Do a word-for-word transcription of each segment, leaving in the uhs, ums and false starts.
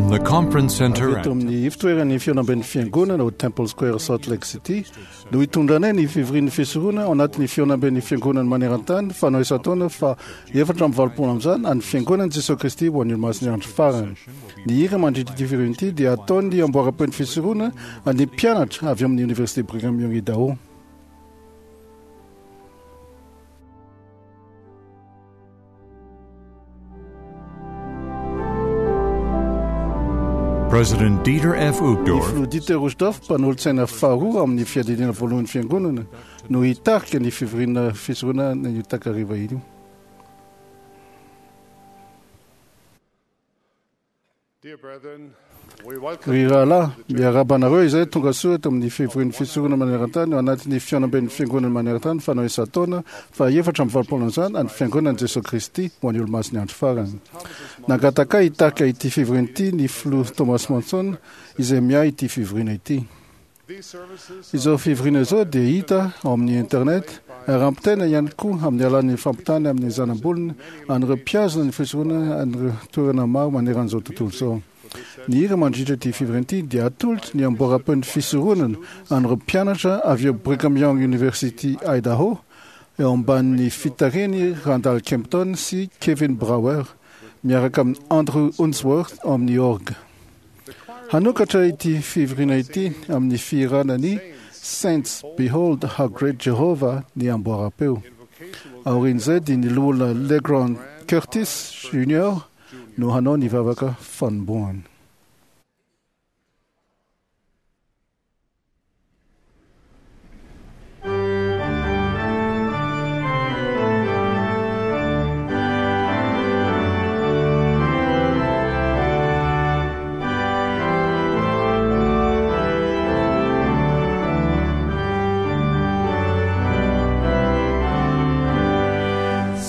From the conference center Avy eto amin'ny ivon-toeran'ny fihaonamben'ny fiangonana ao Temple Square Salt Lake City no hitondranay ny fivorian'ny fisorona ao anatin'ny fihaonamben'ny fiangonana maneran-tany fanao isan-taona fa efatra amby valopolo amin'izany an'ny fiangonan'i Jesosy Kristy ho an'ny Olomasin'ny andro farany. Ny hira mandritra ity fivoriana ity dia ataon'ny amboaram-peon'ny fisorona an'ny mpianatra avy amin'ny Université Brigham Young Idaho. President Dieter F. Ny Uchtdorf filoha Dieter Uchtdorf, mpanolotsaina faharoa amin'ny fiadidiana voalohan'ny fiangonana, no hitarika ny fivoriana fisorona ny takariva io. Ry rahalahy, miarahaba anareo izay tonga soa eto amin'ny fivorian'ny fisorona maneran-tany ao anatin'ny fihaonamben'ny fiangonana maneran-tany fanao isan-taona fa efatra amby valopolo amin'izany an'ny fiangonan'i Jesosy Kristy ho an'ny Olomasin'ny andro farany. Nangataka hitarika ity fivoriana ity ny filoha Thomas Monson izay miahy ity fivoriana ity. Izao fivoriana izao dia hita ao amin'ny internet ary ampitaina ihany koa amin'ny alalan'ny fampitana amin'ny zanabolona an'ireo mpihazona ny fisorona an'ireo toerana maro maneran'izao tontolo izao. Ny hira mandritra ity fivoriana ity dia atolotry ny amboaram-peon'ny fisoronana an'ireo mpianatra avy eo Brigham Young University Idaho eo ambanin'ny fitarihany Randall Kempton sy Kevin Brower miaraka amin'ny Andrew Unsworth ao amin'ny orgue. Hanokatra ity fivoriana ity amin'ny fihirana ny Saints Behold How Great Jehovah ny amboaram-peo. Aorian'izay dia ny loholona Legrand Curtis Junior no hanao ny vavaka fanombohana.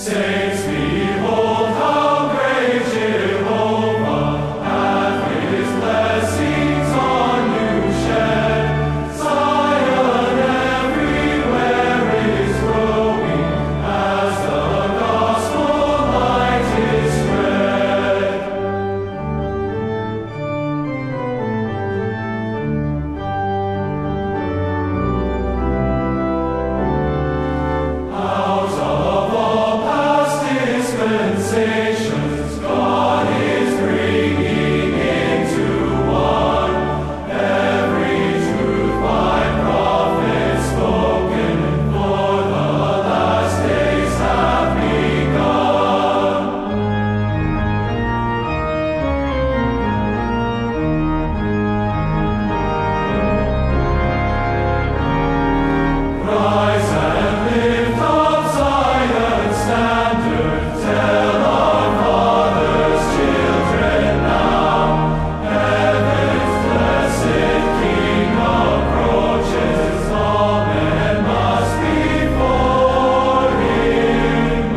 Saints, behold how great Jehovah hath his blessings on you shed. Zion everywhere is growing as the gospel light is spread. Out of all past dispensations, God is bringing into one every truth by prophets spoken, for the last days have begun. Rise and lift up Zion's standard, tell our fathers' children now. Heaven's blessed King approaches, all men must before him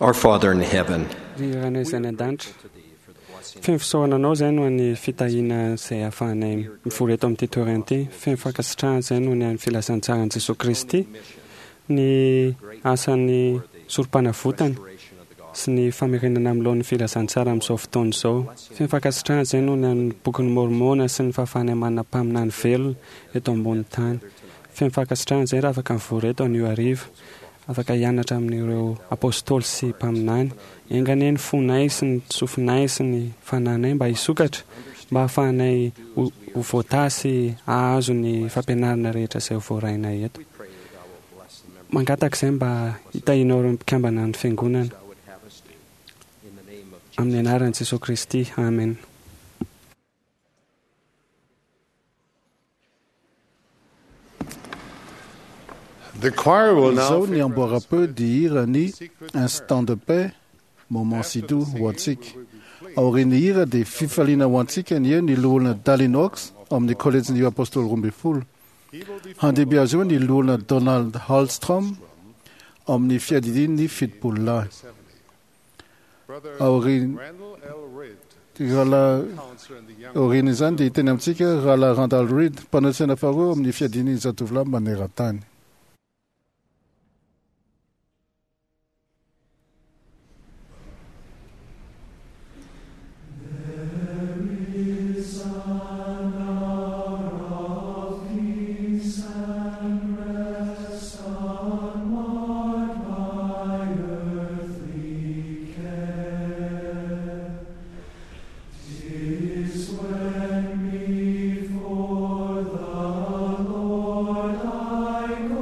Our Father in heaven, Ry Rainay izay any an-danitra, feno fisaorana anao izay noho ny fitahiana izay ahafahanay mivory eto amin'ity toerana ity. Feno fankasitrahana izay noho ny an'ny filazantsaran'i Jesosy Kristy, ny asan'ny sorom-panavotana sy ny famerenana amin'ny laon'ny filazantsara amin'izao fotoana izao. Feno fankasitrahana izay noho ny an'ny bokin'ny Môrmôna sy ny fahafahanay manana mpaminany velona eto ambonin'ny tany. Feno fankasitrahana izay raha afaka mivory eto anio hariva, afaka hianatra amin'ireo apôstôly sy mpaminany. Enga anie ny fonay sy ny sofinay sy ny fananay mba hisokatra mba hahafahanay ho ho voatahy sy hahazo ny fampianarana rehetra izay ho voarainay eto. Mangataka izay mba hitahianao ireo mpikambana ny fiangonana. Amin'ny anaran'i Jesosy Kristy. Amen. The choir will now Izao ny amboaram-peo dia hira ny Instant de paix, Moment si doux ho antsika. Aorian'ny hira dia fifaliana ho antsika ny eo ny loholona Dallin Oaks ao amin'ny kolejin'ny Apôstôly roa ambin'ny folo. Handimby azy eo ny loholona Donald Hallstrom amin'ny fiadidian'ny fitopolo lahy. Aorian rahalahy aorian'izany dia hiteny amintsika rahalahy Randall Reed, mpanolo-tsaina faharoa amin'ny fiadidian'ny zatovolahy maneran-tany. When before the Lord I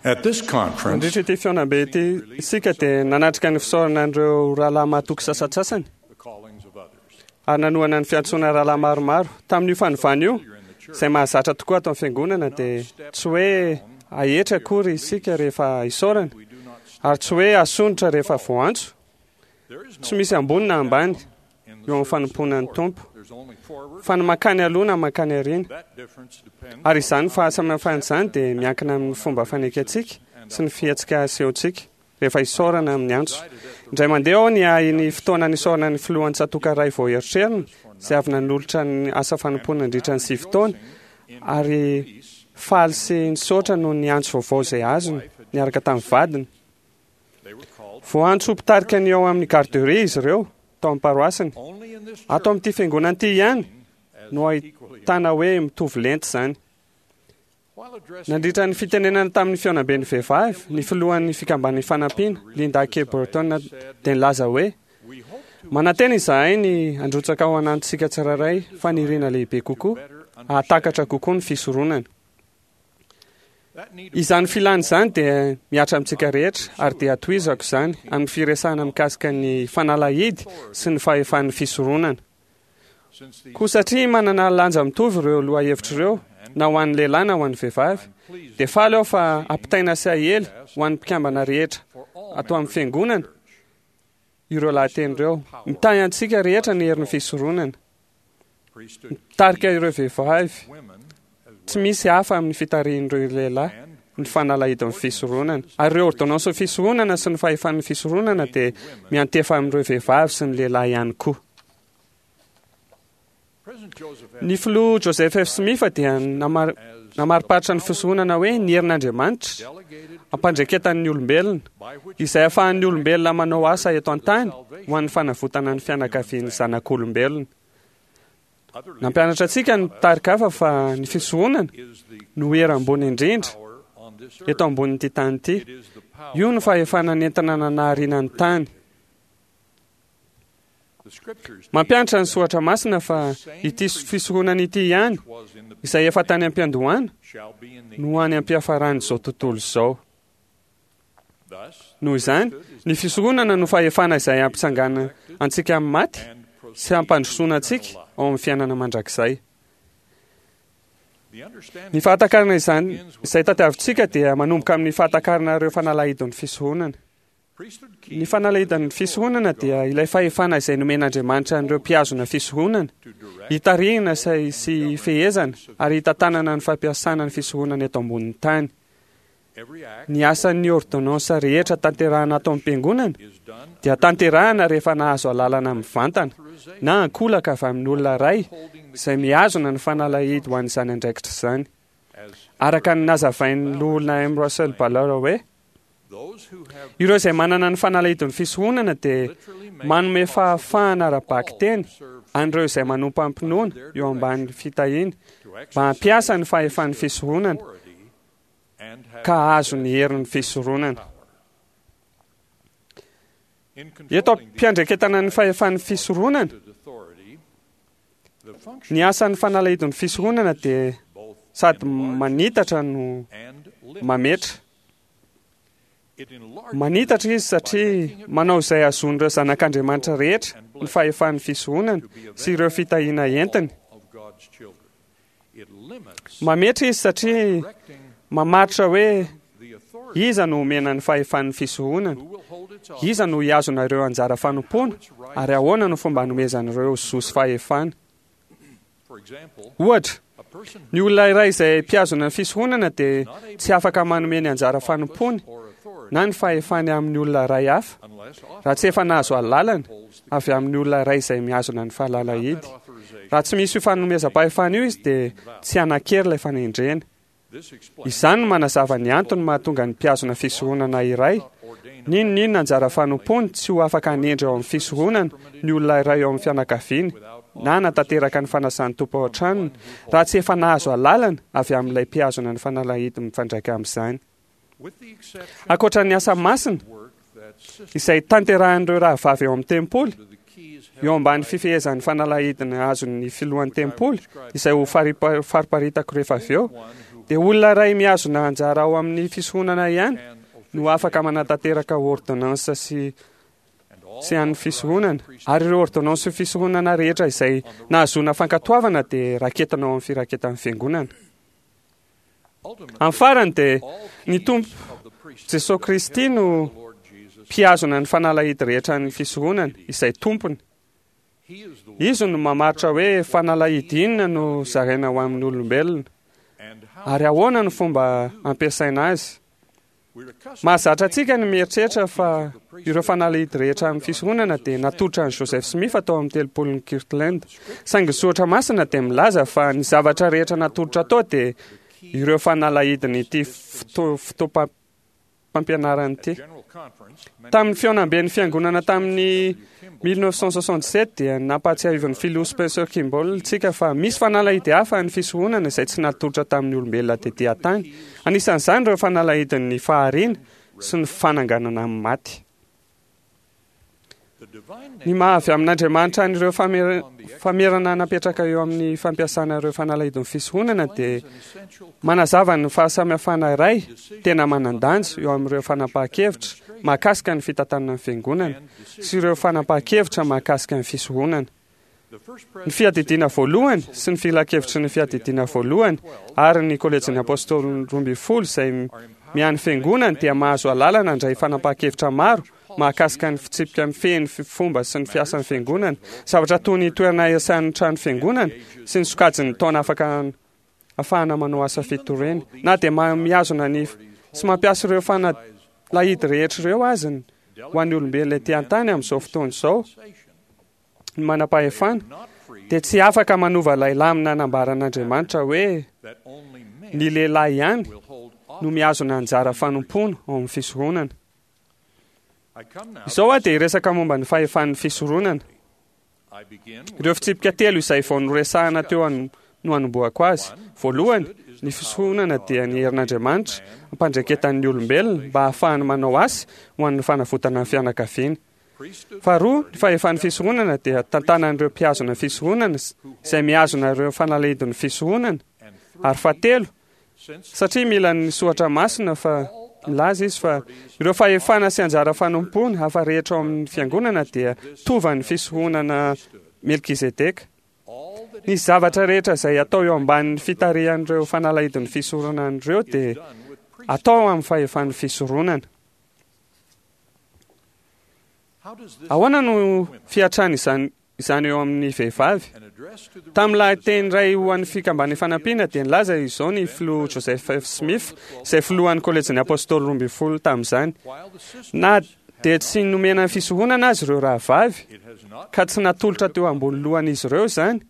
At this conference, Nandritra ity fihaonambe ity isika dia nanatrika ny fisaorana an'ireo rahalahy mahatoky sasantsasany the callings of others. ary nanohana ny fiantsoana rahalahy maromaro. Tamin'io fanovana io, izay mahazatra tokoa ato amin'ny fiangonana, dia tsy hoe ahetra akory isika rehefa isaorana, We do not ary tsy hoe asondrotra rehefa voantso. There is no Tsy misy ambony na ambany in the eo amin'ny service of the fanompoana ny Lord. Tompo, There's only forward. fa ny mankany aloha na mankany aoriana. That difference depends Ary izany fahasamihafana izany dia miankina amin'ny fomba fanekentsika sy ny fihetsika asehontsika rehefa isaorana amin'ny antso. Indray mandeha aho ny ahy ny fotoana nisaorana ny filohan'ny tsatoka iray vao eritrerina, izay avy nanolotra ny asa fanompoana nandritra ny sivy taona, ary faly sy nisaotra noho ny antso vaovao izay azony niaraka tamin'ny vadiny. They were called Voantso ho mpitarika ny ao amin'ny garderie izy ireo tao amin'ny paroasiny. only in this Ato amin'ity fiangonana ity ihany as no equally ahitana hoe mitovy lenta izany. While addressing Nandritra ny fitenenana tamin'ny fihaonamben'ny vehivavy, ny filohan'ny fikamban'ny fanampiana, Linda K. Burton, dia nilaza hoe we hope to manantena izahay ny handrotsaka ao anatintsika tsirairay faniriana lehibe kokoa, hahatakatra kokoa ny fisoronana. that need Izany filana izany dia mihatra amintsika rehetra ary dia hatohizako izany amin'ny firesahana mikasika ny fanalahidy sy ny fahefan'ny fisoronana. since the Koa satria manana lanja mitovy ireo lohahevitra ireo, na ho an'ny lehilahy na ho an'ny vehivavy, dia faly aho fa ampitaina sy ahely ho an'ny mpikambana rehetra for all ato amin'ny fiangonana ireo lahateny ireo. Mitahy antsika rehetra ny herin'ny fisoronana. priesthood Mitarika ireo vehivavy, women as tsy misy hafa amin'ny fitarihin'ireo lehilahy and ny fanalahidin'ny fisoronana. Ary ireo ordonnance fisoronana sy ny fahefan'ny fisoronana dia miantefa amin'ireo vehivavy sy ny lehilahy ihany koa. President Joseph F. Ny filoha Joseph F. Smith dia namar- namariparitra ny fisoronana hoe ny herin'Andriamanitra delegated ampandreketan'ny olombelona by which izay ahafahan'ny olombelona manao asa eto an-tany ho an'ny fanavotana ny fianakavian'ny zanak'olombelona. other Nampianatra antsika ny mpitarika hafa fa ny fisoronana is the no hery ambony indrindra power on this earth. eto ambonin'ity tany ity. It is the power Io no fahefana nentina nanahariana ny tany. the scriptures Mampianatra ny soratra masina fa ity fisoronana ity ihany was in the izay efa tany am-piandohana shall be in the no any am-piafaran'izao tontolo izao. thus Noho izany, ny fisoronana no fahefana izay hampitsangana antsika amin'ny maty and sy hampandrosoana antsika ao amin'ny fiainana mandrakizay. the understanding Ny fahatakarana izany izay tadiavintsika dia manomboka amin'ny fahatakarana ireo fanalahidin'ny fisoronana. priesthood Ny fanalahidin'ny fisoronana dia ilay fahefana izay nomen'Andriamanitra an'ireo mpihazona fisoronana, to direct hitarihina sy sy hifehezana ary hitantanana ny fampiasana ny fisoronana eto ambonin'ny tany. every act Ny asan'ny ordonnance rehetra tanterahana ato amin'ny-piangonana is done dia tanterahana rehefa nahazo alalana mivantana na ankolaka avy amin'ny olona iray izay mihazona ny fanalahidy ho an'izany andraikitra izany. as Araka ny nazavain'ny loholona M. Russell Ballard hoe those who have ireo izay manana ny fanalahidin'ny fisoronana dia literally made manome fahafahana ara-bakiteny serve an'ireo izay manompo am-pinoana eo ambanin'ny fitahiana to mba hampiasa ny fahefan'ny fisoronana authority and have ka hahazo ny herin'ny fisoronana. in Eto controlling the am-piandraiketana ny fahefan'ny fisoronana, authority the function ny asan'ny fanalahidin'ny fisoronana dia both sady manitatra no and limits. mametra. It enlarges Manitatra izy satria manao izay hahazoan'ireo zanak'Andriamanitra rehetra ny fahefan'ny fisoronana sy ireo fitahiana entiny. of God's children. It limits Mametra izy satria directing mamaritra hoe the authority iza no omena ny fahefan'ny fisoronana, who will hold its office iza no hihazona ireo anjara fanompoana, ary ahoana no fomba hanomezan'ireo zo sy fahefana. For example, Ohatra, a person ny olona iray izay mpihazona ny fisoronana dia tsy afaka manome ny anjara fanompoany or authority na ny fahefany amin'ny olona iray hafa unless raha tsy efa nahazo alalana holds the avy amin'ny olona iray izay mihazona ny fahalalahidy. authorization. Raha tsy misy io fanomezam-pahefana io izy dia tsy hanan-kery ilay fanendrena. This explains Izany no manazava ny antony mahatonga ny mpihazona fisoronana iray ordained N'inon'inona anjara fanompoany tsy ho afaka hanendry ao amin'ny fisoronana ny olona iray ao amin'ny fianakaviany na hanatanteraka ny fanasan'ny tompo ao an-tranony raha tsy efa nahazo alalana avy amin'ilay mpihazona ny fanalahidy mifandraika amin'izany. with the exception Ankoatra ny asa masina work that sister izay tanterahan'ireo rahavavy ao amin'ny tempoly to the keys eo ambany fifehezan'ny fanalahidina azon'ny filohan'ny tempoly izay ho faripa- fariparitako rehefa avy eo one who dia olona iray mihazona anjara ao amin'ny fisoronana ihany no afaka manatanteraka ordonnance sy sy an'ny fisoronana. Ary ireo ordonnance sy fisoronana rehetra izay nahazoana fankatoavana dia raketina ao amin'ny firaketan'ny fiangonana. Amin'ny farany dia ny Tompo Jesosy Kristy no mpihazona ny fanalahidy rehetra ny fisoronana izay tompony. Izy no mamaritra hoe fanalahidy inona no zaraina ho amin'ny olombelona ary ahoana no fomba ampiasaina azy. Mahazatra antsika ny mieritreritra fa ireo fanalahidy rehetra amin'ny fisoronana dia natolotra an'i Joseph Smith tao amin'ny telopolon'i Kirtland. Saingy ny soratra masina dia milaza fa ny zavatra rehetra natolotra tao dia ireo fanalahidin'ity foto- fotoam-pampianarana ity. Tamin'ny fihaonamben'ny fiangonana tamin'ny mille neuf cent soixante-dix-sept dia nampahatsiahivin'ny filoha Spencer Kimball tsika fa misy fanalahidy hafa ny fisoronana izay tsy natolotra tamin'ny olombelona tety an-tany. Anisan'izany ireo fanalahidin'ny fahariana sy ny fananganana amin'ny maty. Ny maha avy amin'Andriamanitra an'ireo famer-, famerana napetraka eo amin'ny fampiasana ireo fanalahidin'ny fisoronana dia manazava ny fahasamihafana iray tena manan-danja eo amin'ireo fanapahan-kevitra mahakasika ny fitantanana ny fiangonana sy ireo fanapahan-kevitra mahakasika ny fisoronana. Ny fiadidiana voalohany sy ny filankevitry ny fiadidiana voalohany ary ny kolejin'ny apôstôly roa ambin'ny folo izay miany fiangonana dia mahazo alalana handray fanapahan-kevitra maro mahakasika ny fitsipika mifehy ny fomba sy ny fiasan'ny fiangonana, zavatra toy ny toerana iasan'ny trano fiangonana sy ny sokajin'ny taona afaka ahafahana manao asa fitoriana. Na dia mihazona ny sy mampiasa ireo fanalahidy rehetra ireo azy ho an'ny olombelona ety an-tany amin'izao fotoana izao, ny manam-pahefana dia tsy afaka manova ilay lamina nambaran'Andriamanitra hoe ny lehilahy ihany no mihazona anjara fanompoana ao amin'ny fisoronana. Izao aho dia hiresaka momba ny fahefan'ny fisoronana. Ireo fitsipika telo izay vao noresahana teo no hanombohako azy. Voalohany, ny fisoronana dia ny herin'Andriamanitra ampandreketan'ny olombelona mba hahafahany manao asa ho an'ny fanavotana ny fianakaviana. Faharoa, ny fahefan'ny fisoronana dia tantanan'ireo mpihazona fisoronana izay mihazona ireo fanalahidin'ny fisoronana. Ary fahatelo, satria mila ny soratra masina fa milaza izy fa ireo fahefana sy anjara fanompoana hafa rehetra ao amin'ny fiangonana dia tovan'ny fisoronana Melkizedeka. Ny zavatra rehetra izay atao eo ambanin'ny fitarihan'ireo fanalahidin'ny fisoronana ireo dia atao amin'ny fahefan'ny fisoronana. Ahoana no fiatrany izany izany eo amin'ny vehivavy? Tamin'ny lahateny iray ho an'ny fikambanan'ny fanampiana dia nilaza izao ny filoha Joseph F. Smith, izay filohan'ny kolejin'ny apôstôly roa ambin'ny folo tamin'izany. Na dia tsy nomena ny fisoronana azy ireo rahavavy, ka tsy natolotra teo ambony lohan'izy ireo izany,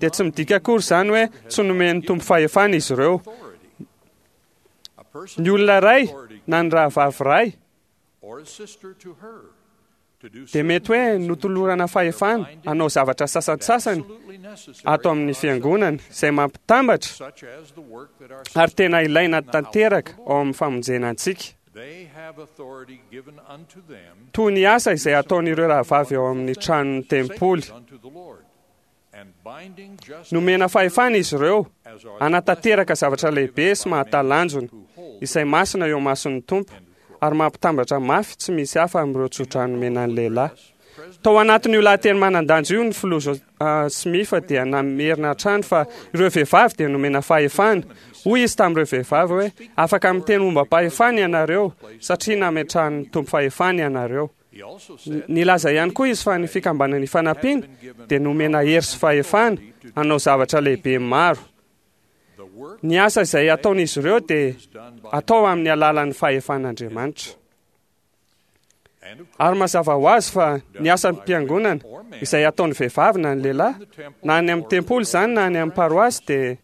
dia tsy midika akory izany hoe tsy nomen'ny Tompo fahefana izy ireo. Ny olona iray na ny rahavavy iray dia mety hoe notolorana fahefana hanao zavatra sasantsasany ato amin'ny fiangonana izay mampitambatra ary tena ilaina tanteraka ao amin'ny famonjena antsika. Toy ny asa izay ataon'ireo rahavavy ao amin'ny tranon'ny tempoly. Nomena fahefana izy ireo hanatanteraka zavatra lehibe sy mahatalanjona izay masina eo mason'ny Tompo ary mampitambatra mafy tsy misy hafa amin'ireo tsodrano nomena ny lehilahy. Tao anatin'io lahateny manan-danja io ny filoha Smith dia namerina hatrany fa ireo vehivavy dia nomena fahefana. Hoy izy tamin'ireo vehivavy hoe afaka miteny momba-pahefana ianareo satria nametrahan'ny Tompo fahefana ianareo. Nilaza ihany koa izy fa ny fikambanan'ny fanampiana dia nomena hery sy fahefana hanao zavatra lehibe maro. Ny asa izay ataon'izy ireo dia atao amin'ny alalan'ny fahefan'Andriamanitra. Ary mazava ho azy fa ny asan'ny mpiangonana izay ataon'ny vehivavy na ny lehilahy, na any amin'ny tempoly izany na any amin'ny paroasy dia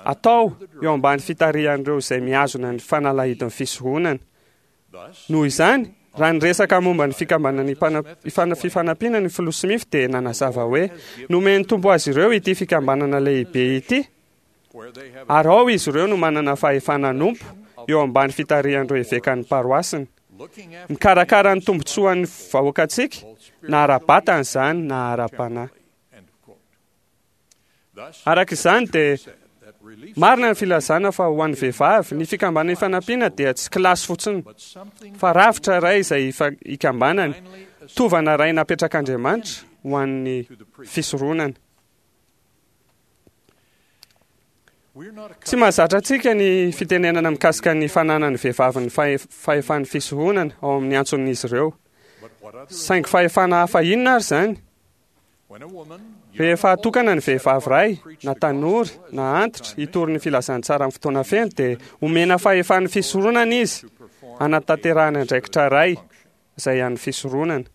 atao eo ambany fitarihan'ireo izay mihazona ny fanalahidin'ny fisoronana. Noho izany, raha niresaka momba ny fikambanan'ny fifanampiana ny filoha Smith dia nanazava hoe nomen'ny Tompo azy ireo ity fikambanana lehibe ity, ary ao izy ireo no manana fahefana hanompo eo ambany fitarihan'ireo evekan'ny paroasiny. Mikarakara ny tombontsoan'ny vahoakantsika na ara-batana izany na ara-panahy. Araka izany dia Marina ny filazana fa ho an'ny vehivavy, ny fikambanana ifanampiana dia tsy kilasy fotsiny, fa rafitra iray izay ikambanany, tovana iray napetrak'Andriamanitra ho an'ny fisoronana. Tsy mahazatra antsika ny fitenenana mikasika ny fananan'ny vehivavy ny fahefan'ny fisoronana ao amin'ny antson'izy ireo. Saingy fahefana hafa inona ary izany? Rehefa atokana ny vehivavy iray, na tanora, na antitra, hitory ny filazantsara amin'ny fotoana feno, dia omena fahefan'ny fisoronana izy hanatanterahana andraikitra iray izay an'ny fisoronana.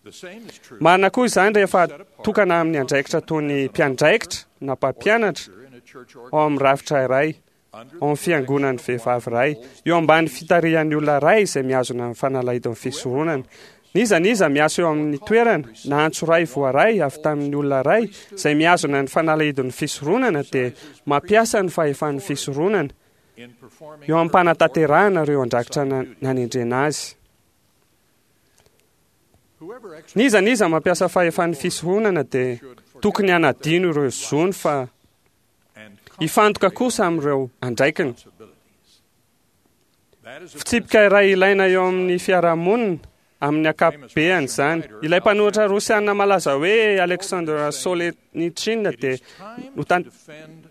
Marina koa izany rehefa atokana amin'ny andraikitra toy ny mpiandraikitra na mpampianatra ao amin'ny rafitra iray, ao amin'ny fiangonan'ny vehivavy iray, eo ambany fitarihan'ny olona iray izay mihazona ny fanalahidin'ny fisoronana. N'iza n'iza miasa eo amin'ny toerana na antso iray voaray avy tamin'ny olona iray izay mihazona ny fanalahidin'ny fisoronana dia mampiasa ny fahefan'ny fisoronana eo am-panatanterahana ireo andraikitra nanendrena azy. N'iza n'iza mampiasa fahefan'ny fisoronana dia tokony hanadino ireo zony fa hifantoka kosa amin'ireo andraikiny. Fitsipika iray ilaina eo amin'ny fiarahamonina amin'ny ankapobeany izany. Ilay mpanoratra rosiana malaza hoe Alexander Solzhenitsyn dia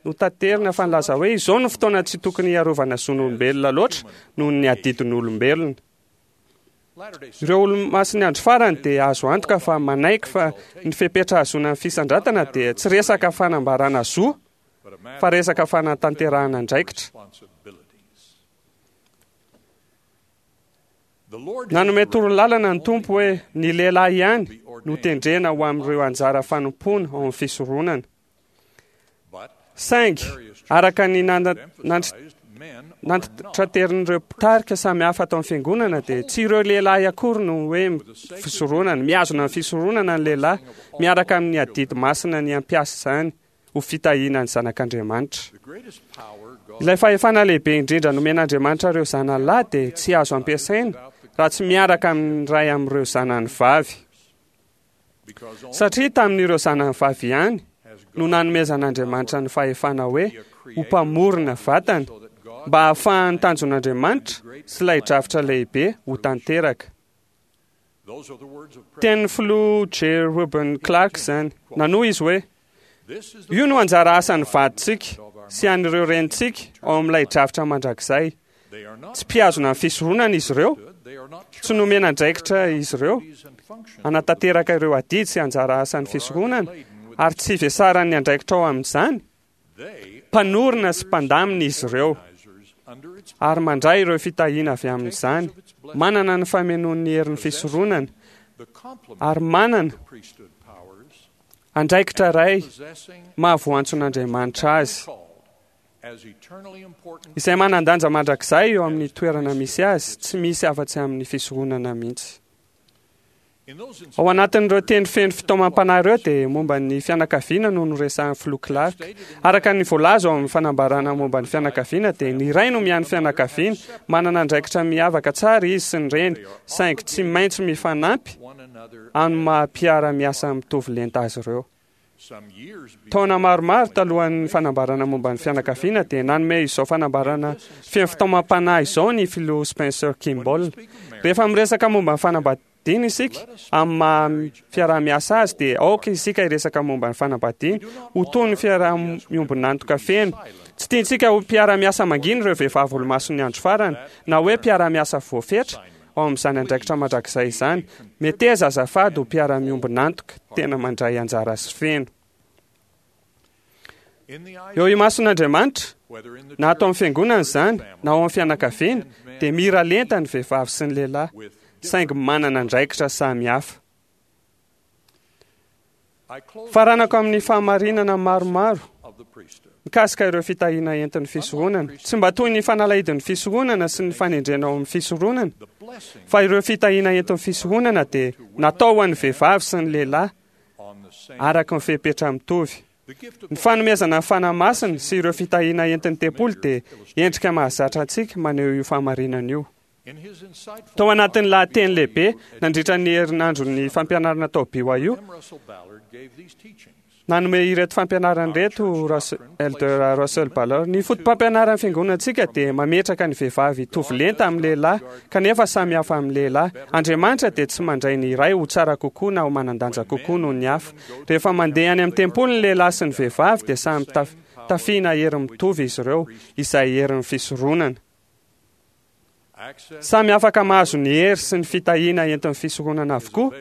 notaterina fa nilaza hoe izao no fotoana tsy tokony hiarovana zon'olombelona loatra noho ny adidin'olombelona. Ireo olomasin'ny andro farany dia azo antoka fa manaiky fa ny fepetra hahazoana ny fisandratana dia tsy resaka fanambarana zo fa resaka fanatanterahana andraikitra. Nanome torolalana ny Tompo hoe ny lehilahy ihany no tendrena ho amin'ireo anjara fanompoana ao amin'ny fisoronana. Saingy araka ny nantitraterin'ireo mpitarika samihafa atao amin'ny fiangonana dia tsy ireo lehilahy akory no hoe fisoronana, mihazona ny fisoronana ny lehilahy miaraka amin'ny adidy masina ny hampiasa izany ho fitahiana ny zanak'Andriamanitra. Ilay fahefana lehibe indrindra nomen'Andriamanitra ireo zanany lahy dia tsy azo ampiasaina raha tsy miaraka amin'ny iray amin'ireo zanany vavy. Satria tamin'ireo zanany vavy ihany no nanomezan'Andriamanitra ny fahefana hoe ho mpamorona vatana mba hahafahan'ny tanjon'Andriamanitra sy ilay drafitra lehibe ho tanteraka. Tenin'ny filoha J. Reuben Clark izany. Nanohy izy hoe io no anjara asan'ny vadintsika sy an'ireo renintsika ao amin'ilay drafitra mandrakizay. Tsy mpihazona ny fisoronana izy ireo, tsy nomena andraikitra izy ireo hanatanteraka ireo adidy sy anjara asan'ny fisoronana ary tsy vesaran'ny andraikitra ao amin'izany. Mpanorina sy mpandamina izy ireo ary mandray ireo fitahiana avy amin'izany, manana ny famenoan'ny herin'ny fisoronana ary manana andraikitra iray mahavoantson'Andriamanitra azy, izay manan-danja mandrakizay eo amin'ny toerana misy azy, tsy misy afa-tsy amin'ny fisoronana mihitsy. Ao anatin'ireo teny feno fitaomam-panahy ireo dia momba ny fianakaviana no noresahan'ny filoha Clark. Araka ny voalaza ao amin'ny fanambarana momba ny fianakaviana dia ny ray no miahy ny fianakaviana, manana andraikitra miavaka tsara izy sy ny reny, saingy tsy maintsy mifanampy amin'ny maha mpiara-miasa mitovy lenta azy ireo. Taona maromaro talohan'ny fanambarana momba ny fianakaviana dia nanome izao fanambarana feno fitaomam-panahy izao ny filoha Spencer Kimball. Rehefa miresaka momba ny fanambadiana isika amin'ny maha fiaraha-miasa azy dia aoka isika hiresaka momba ny fanambadiana ho toy ny fiaraha-miombon'antoka feno. Tsy tiantsika ho mpiara-miasa mangina ireo vehivavy olomasin'ny andro farany na hoe mpiara-miasa voafetra ao amin'izany andraikitra mandrakizay izany. Meteza azafady ho mpiara-miombon'antoka tena mandray anjara sy feno. Eo imason'Andriamanitra, na ato amin'ny fiangonana izany, na ao amin'ny fianakaviana, dia mira lenta ny vehivavy sy ny lehilahy, saingy manana andraikitra samihafa. Faranako amin'ny fahamarinana maromaro mikasika ireo fitahiana entin'ny fisoronana. Tsy mba toy ny fanalahidin'ny fisoronana sy ny fanendrena ao amin'ny fisoronana, fa ireo fitahiana entin'ny fisoronana dia natao ho an'ny vehivavy sy ny lehilahy araka ny fepetra mitovy. Ny fanomezana ny Fanahy Masina sy ireo fitahiana entin'ny tempoly dia endrika mahazatra antsika maneho io fahamarinana io. Tao anatin'ny lahateny lehibe nandritra ny herinandron'ny fampianarana tao B Y U, Nanome ireto fampianarana ireto Elder Russell Ballard. Ny foto-pampianaran'ny fiangonantsika dia mametraka ny vehivavy hitovy lenta amin'ny lehilahy, kanefa samy hafa amin'ny lehilahy. Andriamanitra dia tsy mandray ny iray ho tsara kokoa na ho manan-danja kokoa noho ny hafa. Rehefa mandeha any amin'ny tempoly ny lehilahy sy ny vehivavy dia samy tafiana hery mitovy izy ireo, izay herin'ny fisoronana. Samy afaka mahazo ny hery sy ny fitahiana entin'ny fisoronana avokoa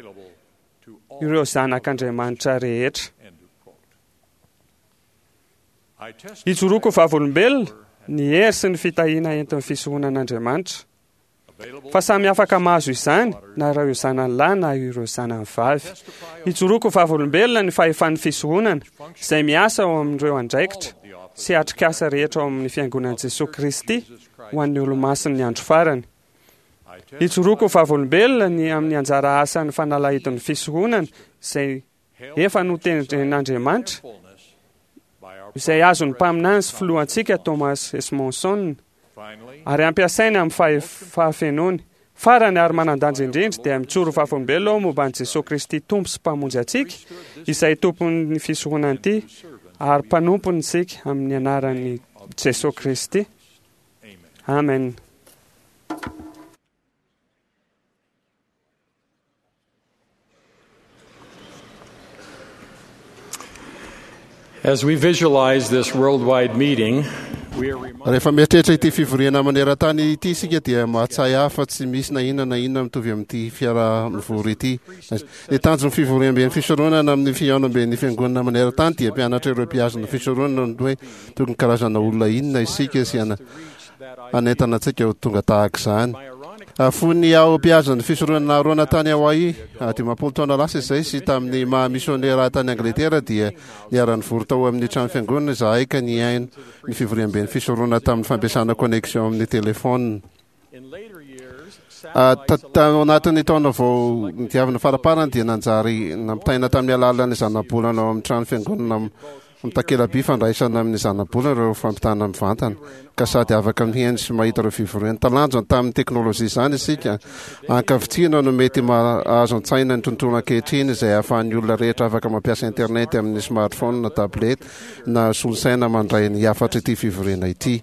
ireo zanak'Andriamanitra rehetra. Ijoroako vavolombelona ny hery sy ny fitahiana entin'ny fisoronan'Andriamanitra, fa samy afaka mahazo izany na ireo zanany lahy na ireo zanany vavy. Ijoroako vavolombelona ny fahefan'ny fisoronana izay miasa ao amin'ireo andraikitra sy atrikasa rehetra ao amin'ny fiangonan'i Jesoa Kristy ho an'ny olomasin'ny andro farany. Ijoroako vavolombelona ny amin'ny anjara asan'ny fanalahidin'ny fisoronana izay efa notendren'Andriamanitra, izay azon'ny mpaminany sy filohantsika Thomas S. Monson, ary ampiasainy amin'ny fahafenoany. Farany ary manan-danja indrindra dia mijoro vavolombelona ao momba an'i Jesoa Kristy Tompo sy Mpamonjy antsika, izay tompon'ny fisoronana ity ary mpanompony isika amin'ny anaran'i Jesoa Kristy. Amen. As we visualize this worldwide meeting, we are Rehefa mieritreritra ity fivoriana maneran-tany ity isika dia mahatsiahy ahy fa tsy misy na inona na inona mitovy amin'ity fiaraha-mivory ity. Ny tanjon'ny fivoriamben'ny fisoronana amin'ny fihaonamben'ny fiangonana maneran-tany dia mpianatra ireo mpihazona fisoronana ny hoe tokony karazana olona inona isika sy hanentana antsika ho tonga tahaka izany. Fony aho mpihazona fisoronana Aharôna tany Hawaii dimampolo taona lasa izay sy tamin'ny maha misionera tany Angletera dia niara-nivory tao amin'ny trano fiangonana izahay ka nihaino ny fivoriamben'ny fisoronana tamin'ny fampiasana connexion amin'ny telefôna. Tao anatin'ny taona vao nidiavina faraparany dia nanjary nampitaina tamin'ny alalan'ny zanabolana ao amin'ny trano fiangonana mitakela-by fandraisana amin'ny zanabolana ireo fampitana mivantana, ka sady afaka mihaino sy mahita ireo fivoriana. Talanjona tamin'ny teknôlôjia izany isika. Ankavitsiana no mety mahazo an-tsaina ny tontolo ankehitriny izay ahafahan'ny olona rehetra afaka mampiasa internet amin'ny smartphone na tablette na solosaina mandray ny hafatr'ity fivoriana ity.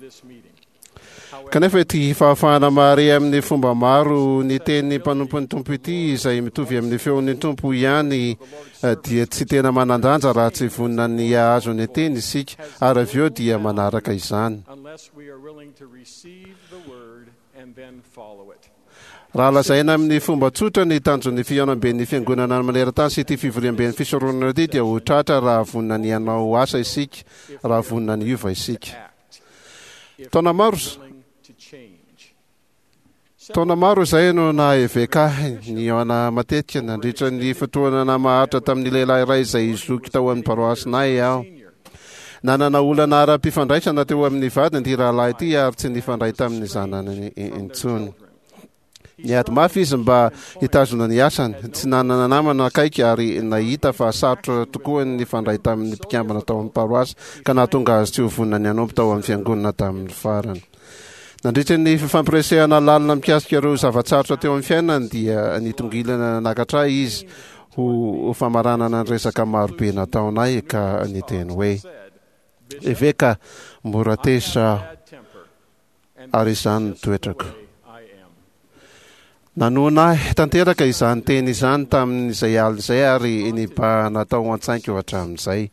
Kanefa ity fahafahana mahare amin'ny fomba maro ny teny mpanompon'ny Tompo ity, izay mitovy amin'ny feon'ny Tompo ihany, dia tsy tena manan-danja raha tsy vonona ny hahazo ny teny isika, ary avy eo dia manaraka izany. Raha lazaina amin'ny fomba tsotra ny tanjon'ny fihaonamben'ny fiangonana maneran-tany sy ity fivoriamben'ny fisoronana ity dia ho tratra raha vonona ny hanao asa isika, raha vonona ny hiova isika. Taona maro Taona maro izay no naha-eveka ahy nihaona matetika nandritra ny fotoana namaharitra tamin'ny lehilahy iray izay zoky tao amin'ny paroasinay aho. Nanana olana ara-pifandraisana teo amin'ny vadiny ity rahalahy ity ary tsy nifandray tamin'ny zanany intsony. Niady mafy izy mba hitazona ny asany, tsy nanana namana akaiky ary nahita fa sarotra tokoa ny nifandray tamin'ny mpikambana tao amin'ny paroasy ka nahatonga azy tsy ho vonona ny hanompo tao amin'ny fiangonana tamin'ny farany. Nandritra ny fifampiresahana lalina mikasika ireo zava-tsarotra teo amin'ny fiainany dia nitongilana nanakatra ahy izy ho famaranana ny resaka marobe nataonay ka niteny hoe, Eveka, mora tezitra aho. Ary izany no toetrako. Nanohina ahy tanteraka izany teny izany tamin'izay alina izay ary nibahana tao an-tsaiko hatramin'izay.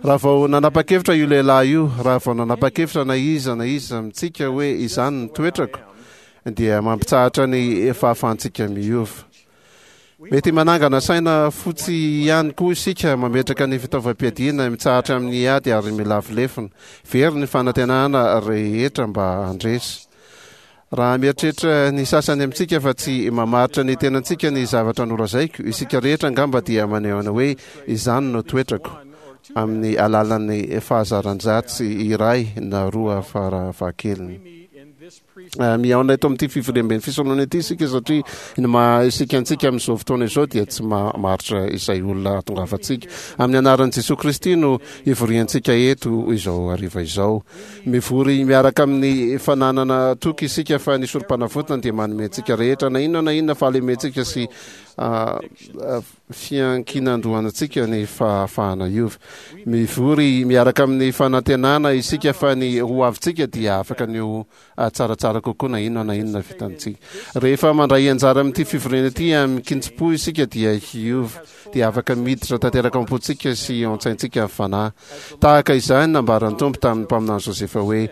Raha vao nanapa-kevitra io lehilahy io, raha vao nanapa-kevitra na iza na iza amintsika hoe izany no toetrako, dia mampitsahatra ny fahafahantsika miova. Mety manangana saina fotsy ihany koa isika, mametraka ny fitaovam-piadiana, mitsahatra amin'ny ady ary milavo lefona. Very ny fanantenana rehetra mba handresy. Raha mieritreritra ny sasany amintsika fa tsy mamaritra ny tenantsika ny zavatra nolazaiko, isika rehetra angamba dia maneho ny hoe izany no toetrako, amin'ny alalan'ny fahazaran-dratsy iray na roa fara fahakeliny. Mihaona eto amin'ity fivoriamben'ny fisoronana ity isika satria ny maha isika antsika amin'izao fotoana izao dia tsy maharitra izay olona hahatongavantsika. Amin'ny anaran'i Jesoa Kristy no ivoriantsika eto izao hariva izao. Mivory miaraka amin'ny fananana toky isika fa ny sorom-panavotana dia manome antsika rehetra na inona na inona fahalementsika sy fiankinan-dohantsika ny fahafahana hiova. Mivory miaraka amin'ny fanantenana isika fa ny ho avintsika dia afaka ny ho tsaratsara kokoa na inona na inona vitantsika. Rehefa mandray anjara amin'ity fivoriana ity amin-kitsim-po isika dia hiova, dia afaka miditra tanteraka ao am-pontsika sy ao an-tsaintsika ny Fanahy. Tahaka izany nambaran'ny Tompo tamin'ny mpaminany Josefa hoe,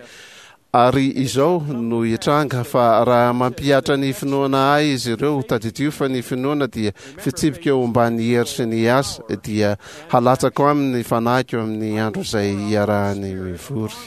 Ary izao no hitranga, fa raha mampihatra ny finoana ahy izy ireo, tadidio fa ny finoana dia fitsipika eo ambany hery sy ny asa, dia halatsako aminy ny fanahiko amin'ny andro izay hiarahany mivory.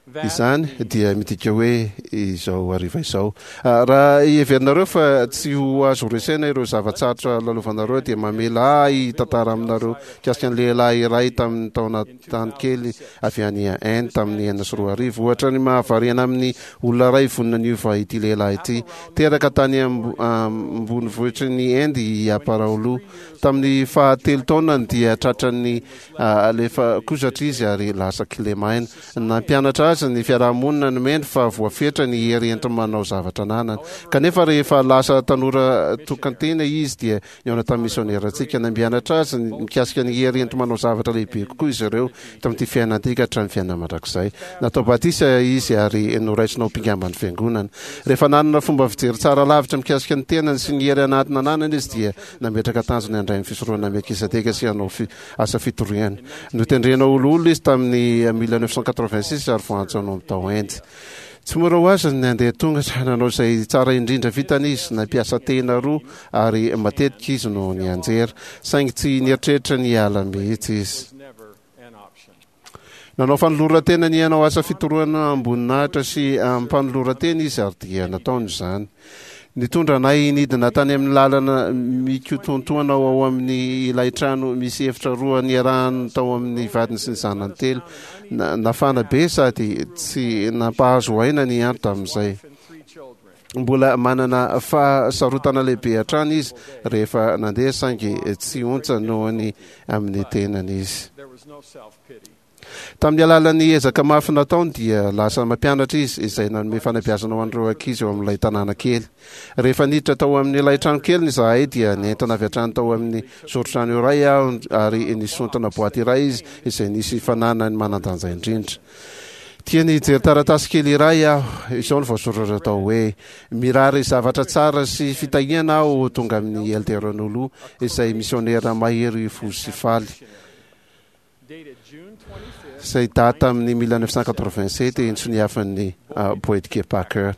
Izany dia midika hoe izao hariva izao. Raha heverinareo fa tsy ho azo resena ireo zava-tsarotra lalovanareo, dia mamela ahy hitantara aminareo mikasika ny lehilahy iray tamin'ny taona tany kely avy any Inde tamin'ny enina sy roa arivo. Ohatra ny mahavariana amin'ny olona iray vonona niova ity lehilahy ity. Teraka tany ambonivohitry ny Inde i Aparaolo. Tamin'ny fahatelo taonany dia tratran'ny alefa kozatra izy ary lasa kilemaina. Nampianatra azy ny fiaraha-monina nomeny fa voafetra ny hery enti-manao zavatra ananany. Kanefa rehefa lasa tanora tokan-tena izy dia nihaona tamin'ny misionerantsika. Nampianatra azy mikasika ny hery enti-manao zavatra lehibe kokoa izy ireo tamin'ity fiainana ity ka hatramin'ny fiainana mandrakizay. Natao batisa izy ary noraisina ho mpikamban'ny fiangonana. Rehefa nanana fomba fijery tsara lavitra mikasika ny tenany sy ny hery anaty nananany izy dia nametraka tanjona handray ny fisoronana Melkizedeka sy hanao asa fitoriana. Notendrena ho loholona izy tamin'ny mille neuf cent quatre-vingt-six ary voantso hanompo tao Inde. Tsy mora ho azy ny nandeha tongotra, nanao izay tsara indrindra vitany izy, nampiasa tehina roa ary matetika izy no nianjera, saingy tsy nieritreritra ny hiala mihitsy izy. Nanao fanoloran-tena ny hanao asa fitorohana am-boninahitra sy am-panoloran-tena izy ary dia nataony izany. Nitondra anay nidina tany amin'ny lalana mikotontoana ao amin'ny ilay trano misy efitra roa niarahany tao amin'ny vadiny sy ny zanany telo. Nafana be sady tsy nampahazo aina ny andro tamin'izay. Mbola manana fahasarotana lehibe hatrany izy rehefa nandeha saingy tsy ontsa noho ny amin'ny tenany izy. Tamin'ny alalan'ny ezaka mafy nataony dia lasa mampianatra izy izay nanome fanabeazana ho an'ireo ankizy eo amin'ilay tanàna kely. Rehefa niditra tao amin'ilay trano keliny izahay dia nentana avy hatrany tao amin'ny zoron-trano iray aho ary nisontona boaty iray izy izay nisy fananany manan-danja indrindra. Tiany hijery taratasy kely iray aho. Izao no voasoratra tao hoe, Mirary zavatra tsara sy fitahiana aho ho tonga amin'i Elder Nulu izay misionera mahery fo sy faly. Izay daty tamin'ny mille neuf cent quatre-vingt-sept nsoniavin'ny Boyd K. Packer.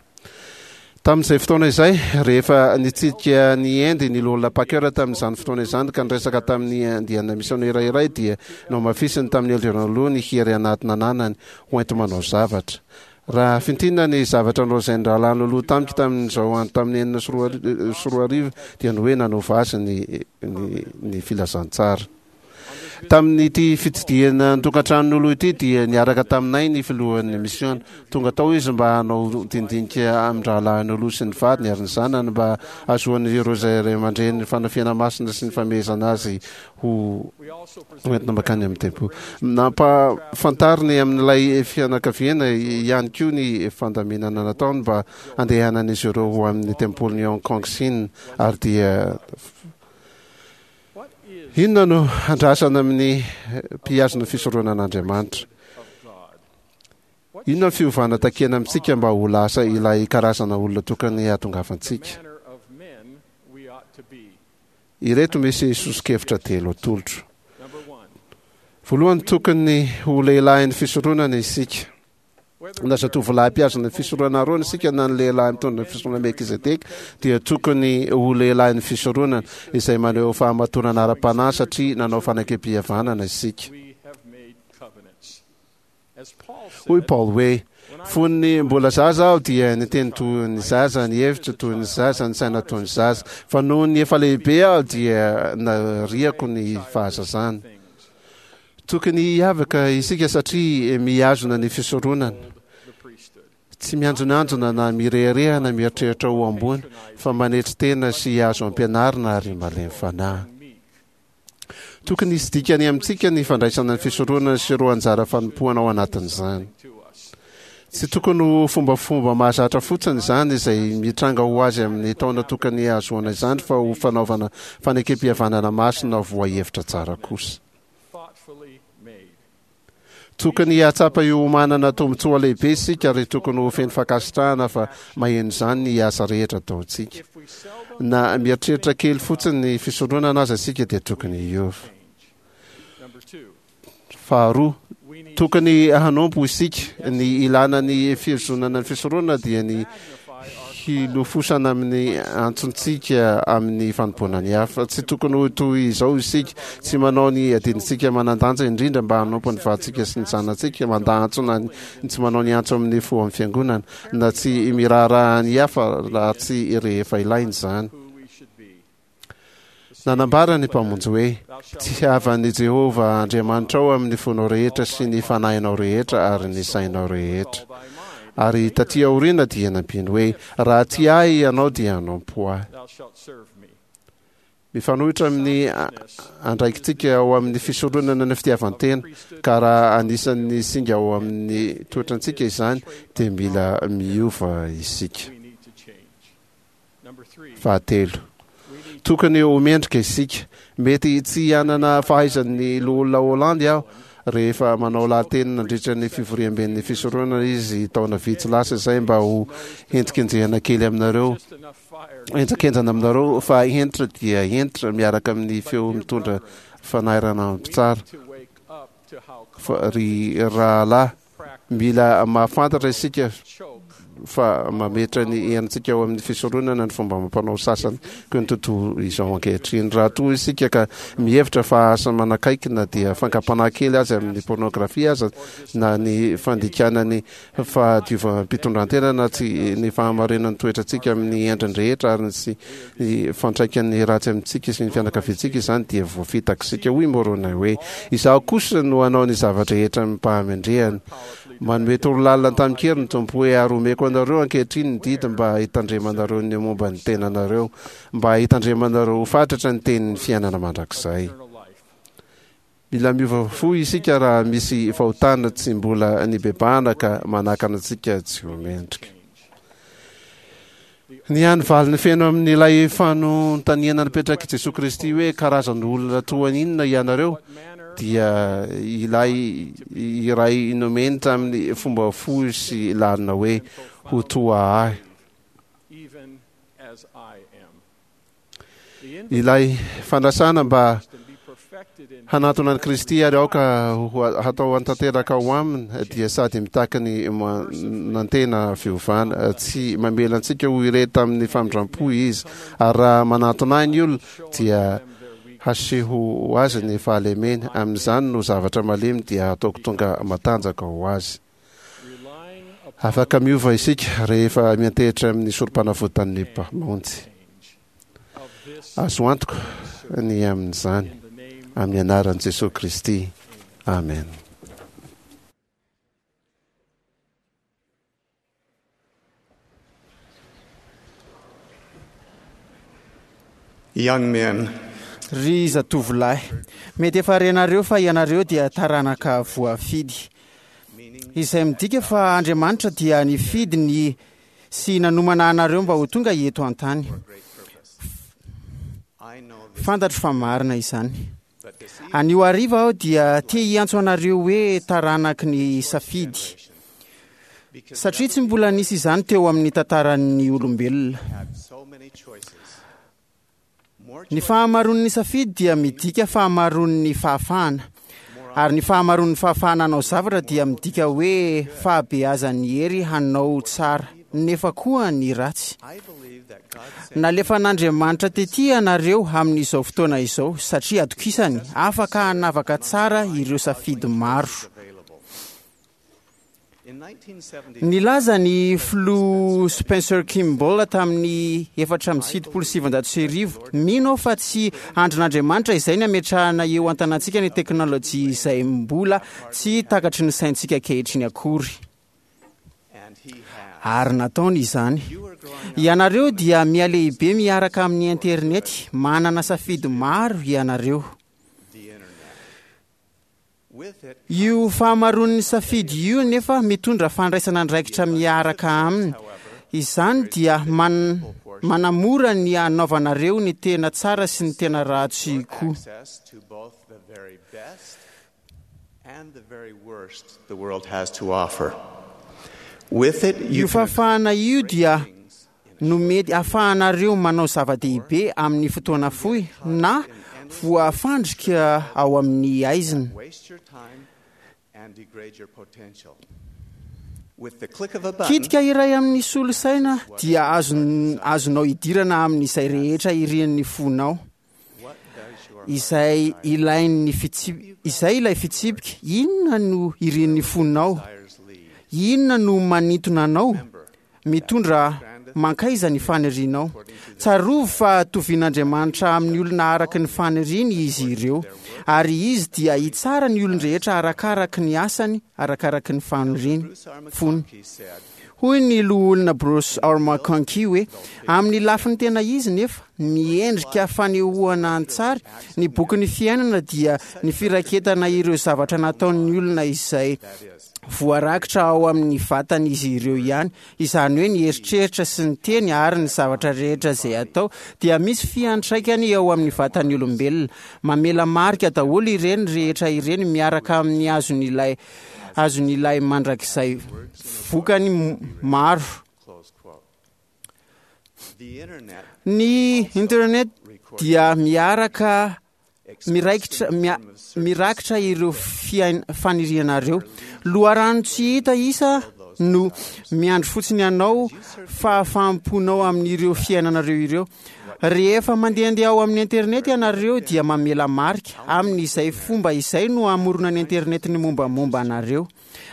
Tamin'izay fotoana izay, rehefa nitsidika ny Inde ny Loholona Packer tamin'izany fotoana izany ka niresaka tamin'ny andiana misionera iray dia nohamafisiny tamin'ny Elder Nulu ny hery anaty nananany ho enti-manao zavatra. Raha fintinina ny zavatra nolazain'ny Rahalahy Nulu tamiko tamin'izao andro tamin'ny enina sy roa arivo dia ny hoe nanova azy ny, ny, ny filazantsara. Tamin'ity fitsidihana ny tokantranon'olo ity dia niaraka taminay ny filohan'ny misiona. Tonga tao izy mba hanao dinidinika amin-drahalahin'olo sy ny vadiny ary ny zanany mba hahazoan'ireo izay ray aman-dreny fanafihana masina sy ny famehezana azy ho entina mankany amin'ny tempoly. Nampahafantariny amin'ilay fianakaviana ihany koa ny fandaminana nataony mba handehanan'izy ireo ho amin'ny tempolin'i Hong Kong Sina ary dia Inona no andrasana amin'ny mpihazona fisoronan'Andriamanitra? Inona ny fiovana takiana amintsika mba ho lasa ilay karazana olona tokony hahatongavantsika? Ireto misy soso-kevitra telo atolotro. Voalohany, tokony ho lehilahin'ny fisoronana isika. Na zatovolahy mpihazona ny fisoronana Arona isika na ny lehilahy mitondra ny fisoronana Melkizedeka dia tokony ho lehilahin'ny fisoronana izay maneho fahamatorana ara-panahy satria nanao fanekempihavanana isika. Hoy Paoly hoe, Fony mbola zaza aho dia niteny toy ny zaza, nihevitra toy ny zaza, nisaina toy ny zaza. Fa nony efa lehibe aho dia nariako ny fahazazana. Tokony hiavaka isika satria mihazona ny fisoronana. Tsy mianjonanjona na mirehareha na mieritreritra ho ambony, fa manetry tena sy azo ampianarina ary malemy fanahy. Tokony hisy dikany amintsika ny fandraisana ny fisoronana sy ireo anjara fanompoana ao anatin'izany. Tsy tokony ho fombafomba mahazatra fotsiny izany izay mitranga ho azy amin'ny taona tokony hahazoana izany, fa ho fanaovana fanekem-pihavanana masina voahevitra tsara kosa. Tokony hahatsapa io manana tombontsoa lehibe isika ary tokony ho feno fankasitrahana fa maheno izany ny asa rehetra ataontsika. Na mieritreritra kely fotsiny ny fisoronana aza isika dia tokony hiova. Faharoa, tokony hanompo isika. Ny ilana ny fihozonana ny fisoronana dia ny hilofosana amin'ny antsontsika amin'ny fanompoana ny hafa. Tsy tokony ho toy izao isika, tsy manao ny adidintsika manan-danja indrindra mba hanompo ny vadintsika sy ny zanatsika, mandà antso na ny tsy manao ny antso amin'ny fo amin'ny fiangonana, na tsy miraharaha ny hafa raha tsy rehefa ilaina izany. Nanambara ny Mpamonjy hoe, Tiava an'i Jehovah Andriamanitrao amin'ny fonao rehetra sy ny fanahinao rehetra ary ny sainao rehetra. Ary tatỳ aoriana dia nampiany hoe, Raha tia ahy ianao dia hanompo ahy. Mifanohitra amin'ny andraikitsika ao amin'ny fisoronana ny fitiavan-tena, ka raha anisan'ny singa ao amin'ny toetrantsika izany, dia mila miova isika. Fahatelo, tokony ho mendrika isika. Mety tsy hanana fahaizan'ny Loholona Holland aho rehefa manao lahateny nandritra ny fivoriamben'ny fisoronana izy taona vitsy lasa izay mba ho henjikenjehana kely aminareo, henjankenjana aminareo fa hentitra dia hentitra miaraka amin'ny feo mitondra fanairana mpitsara. Fa ry rahalahy, mila mahafantatra isika fa mametra ny herintsika ao amin'ny fisoronana ny fomba amam-panao sasany koa ny tontolo izao ankehitriny. Raha toa isika ka mihevitra fa asa manakaiky na dia fankam-panahy kely aza amin'ny pornografia aza na ny fandikana ny fahadiovam-pitondrantena na tsy ny fahamarinan'ny toetrantsika amin'ny endriny rehetra ary sy ny fantraikan'ny ratsy amintsika sy ny fianakaviantsika izany dia voafitaka isika. Hoy Moroni hoe, Izaho kosa no hanao ny zava-drehetra amim-pahamendrehana. Manome torolalana tamin-kery ny Tompo hoe, Ary omeko anareo ankehitriny ny didy mba hitandremanareo ny momba ny tenanareo, mba hitandremanareo ho fatratra ny tenin'ny fiainana mandrakizay. Mila miova fo isika raha misy fahotana tsy mbola nibebahana ka manakana antsika tsy ho mendrika. Ny hany valiny feno amin'ilay fanontaniana napetrak'i Jesoa Kristy hoe karazan'olona toa inona ianareo dia ilay iray nomeny tamin'ny fomba fohy sy lalina hoe ho toa ahy. Ilay fanasana mba hanatona an'i Kristy ary aoka hatao tanteraka ao aminy dia sady mitaky ny manantena fiovana. Tsy mamela antsika ho irery tamin'ny famindram-po Izy, ary raha manatona ahy ny olona dia haseho azy ny fahalemeny, amin'izany no zavatra malemy dia hataoko tonga matanjaka ho azy. Afaka miova isika rehefa miantehitra amin'ny sorom-panavotan'ny Mpamonjy. Azo antoka ny amin'izany, amin'ny anaran'i Jesoa Kristy. Amen. Young men. Ry zatovolahy, mety efa renareo fa ianareo dia taranaka voafidy, izay midika fa Andriamanitra dia nifidy ny sy nanomana anareo mba ho tonga eto an-tany. Fantatro fa marina izany. Anio hariva aho dia te hiantso anareo hoe taranaky ny safidy, satria tsy mbola nisy izany teo amin'ny tantaran'ny olombelona. Ny fahamaroan'ny safidy dia midika fahamaroan'ny fahafahana, ary ny fahamaroan'ny fahafahana hanao zavatra dia midika hoe fahabeazan'ny hery hanao tsara nefa koa ny ratsy. Nalefan'Andriamanitra tetỳ ianareo amin'izao fotoana izao satria atokisany afaka hanavaka tsara ireo safidy maro. Nilaza ny filoha Spencer Kimball tamin'ny efatra amby fitopolo sy sivinjato sy arivo: "Mino aho fa tsy andrin'Andriamanitra izay ny ametrahana eo an-tanantsika ny teknôlôjia izay mbola tsy takatry ny saintsika ankehitriny akory." Ary nataony izany. Ianareo dia mihalehibe miaraka amin'ny internety, manana safidy maro ianareo. Io fahamaroan'ny safidy io nefa mitondra fandraisana andraikitra miaraka aminy. Izany dia man- manamora ny anaovanareo ny tena tsara sy ny tena ratsy koa. Access to both the very best and the very worst the world has to offer. With it, you Io fahafahana io dia no mety ahafahanareo manao zava-dehibe amin'ny fotoana fohy na voafandrika ao amin'ny aizina. waste your time and degrade your potential. With the click of a button, Kitika iray amin'ny solosaina dia azon- azonao idirana amin'izay rehetra irian'ny fonao. Izay ilain'ny fitsip- izay ilay fitsipika, inona no irian'ny fonao? Inona no manintona anao? Mitondra mankaiza ny fanirianao? Tsarovy fa tovin'Andriamanitra amin'ny olona araka ny faniriany izy ireo, ary izy dia hitsara ny olon-drehetra arakaraky ny asany, arakaraky ny faniriany fony. Hoy ny loholona Bruce R. McConkie hoe: "Amin'ny lafiny tena izy nefa miendrika fanehoana an-tsary ny bokin'ny fiainana dia ny firaketana ireo zavatra nataon'ny olona izay voarakitra ao amin'ny vatan'izy ireo ihany, izany hoe ny eritreritra sy ny teny ary ny zavatra rehetra izay atao dia misy fiantraikany eo amin'ny vatan'ny olombelona. Mamela marika daholo ireny rehetra ireny miaraka amin'ny azon'ilay azon'ilay mandrakizay vokany m- maro." close quote. The internet Ny internet dia miaraka miraikitra mia- mirakitra ireo fiain- fanirianareo. Loharano tsy hita isa no miandry fotsiny anao fahafaham-ponao amin'ireo fiainanareo ireo. Rehefa mandehandeha ao amin'ny internet ianareo dia mamela marika. Amin'izay fomba izay no hamoronan'ny internet ny mombamomba anareo.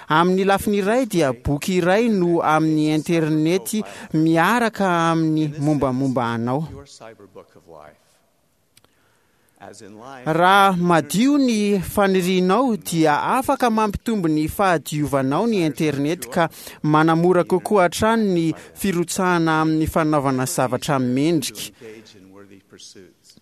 Amin'ny lafiny iray dia boky iray no amin'ny internet miaraka amin'ny mombamomba anao. your cyber book of life. As in life, Raha madio ny fanirianao dia afaka mampitombo ny fahadiovanao ny internet ka manamora kokoa hatrany ny firotsahana amin'ny fanaovana zavatra mendrika. engage in worthy pursuits.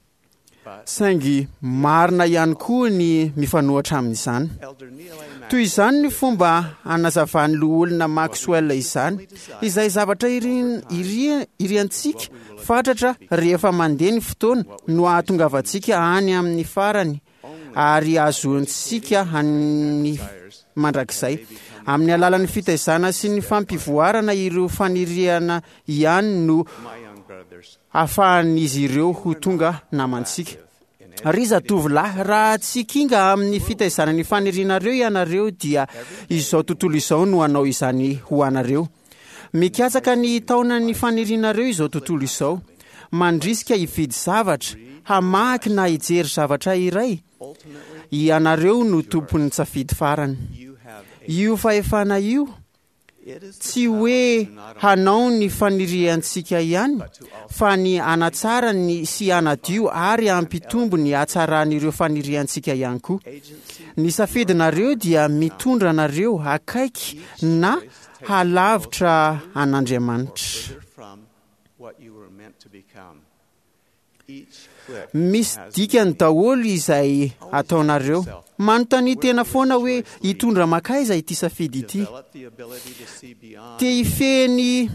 But Saingy marina ihany koa ny mifanohitra amin'izany. Elder Neil A. Toy izany ny fomba anazavan'ny loholona Maxwell izany, izay zavatra irin- iri- iriantsika fatratra rehefa mandeha ny fotoana no ahatongavantsika any amin'ny farany ary ahazoantsika any mandrakizay. Amin'ny alalan'ny fitaizana sy ny fampivoarana ireo faniriana ihany no my young brothers, ahafahan'izy ireo ho tonga namantsika. Ry zatovolahy, raha tsy kinga amin'ny fitaizana ny fanirianareo ianareo dia izao tontolo izao no hanao izany ho anareo. Mikatsaka ny taonan'ny fanirianareo izao tontolo izao. Mandrisika hividy zavatra, hamaky na hijery zavatra iray. Ianareo no tompon'ny safidy farany. you have a Io fahefana io it is the tsy hoe hanao ny faniriantsika ihany fa ny hanatsara ny sy hanadio ary hampitombo ny hatsaran'ireo faniriantsika ihany koa. agency Ny safidinareo dia mitondra anareo akaiky na halavitra an'Andriamanitra. further from what you were meant to become. Each click Misy has dikany daholo izay ataonareo. Manontania tena foana hoe hitondra makaiza ity safidy ity. developed the ability to see beyond Te hifehy ny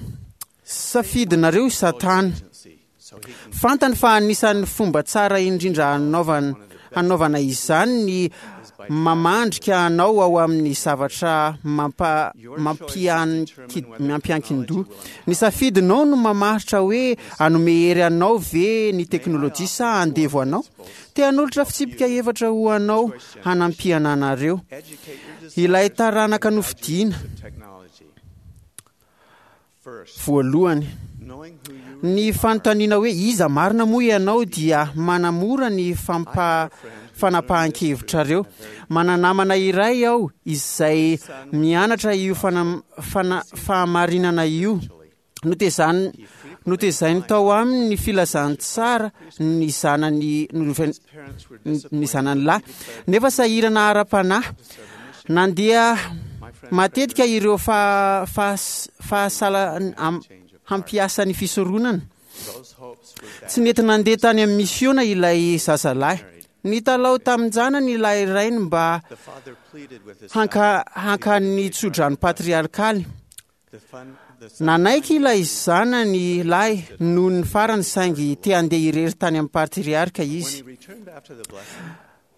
safidinareo i Satana. agency so he can Fantany fa anisan'ny fomba tsara indrindra hanaovana hanaovana izany ny mamandrika anao ao amin'ny zavatra mampa mampianki- mampiankin-doha. Ny safidinao no mamaritra hoe hanome hery anao ve ny teknôlôjia sa andevo anao. Te hanolotra fitsipika efatra ho anao hanampiana anareo. educate your Ilay desires taranaka nofidiana of technology. First, voalohany. knowing who you Ny fanontaniana hoe iza marina moa ianao dia manamora ny fampa fanapahan-kevitrareo. Mananamana iray aho izay mianatra io fana, fana, fahamarinana io. Notezan, notezainy tao aminy ny filazantsara ny zanany ny zanany lahy, nefa sahirana ara-panahy. Nandeha matetika ireo fa, fa, fahasala hampiasa ny fisoronana. Tsy nety nandeha tany amin'ny misiona ilay zazalahy. Nitalao tamin-janany ilay rainy mba hanka hankany tsodrano patriarkaly. Nanaiky ilay zanany lahy noho ny farany, saingy te handeha irery tany amin'ny patriarka izy.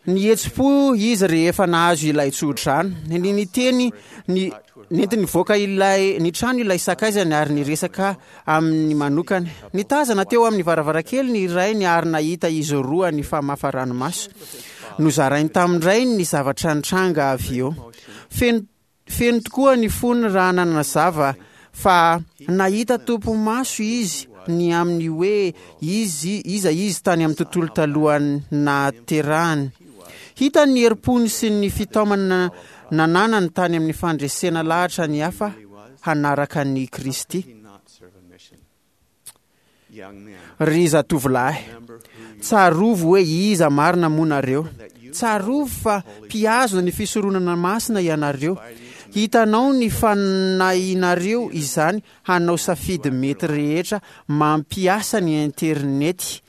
Nihetsi-po izy rehefa nahazo ilay tsodrano. Ny niteny ny nentiny nivoaka ilay ny trano ilay sakaizany ary niresaka amin'ny manokana. Nitazana teo amin'ny varavarankely ny rainy ary nahita izy roa nifamafa ranomaso. Nozarainy tamin-drainy ny zavatra nitranga avy eo. Feno feno tokoa ny fony raha nanazava fa nahita topi-maso izy ny amin'ny hoe izy iza izy tany amin'ny tontolo talohan'ny nahaterahany. Hita ny herim-pony sy ny fitaomana nananany tany amin'ny fandresena lahatra ny hafa hanaraka ny Kristy. Ry zatovolahy, tsarovy hoe iza marina moa nareo. Tsarovy fa mpihazona ny fisoronana masina ianareo. Hitanao ny fanahinareo izany hanao safidy mety rehetra mampiasa ny internety.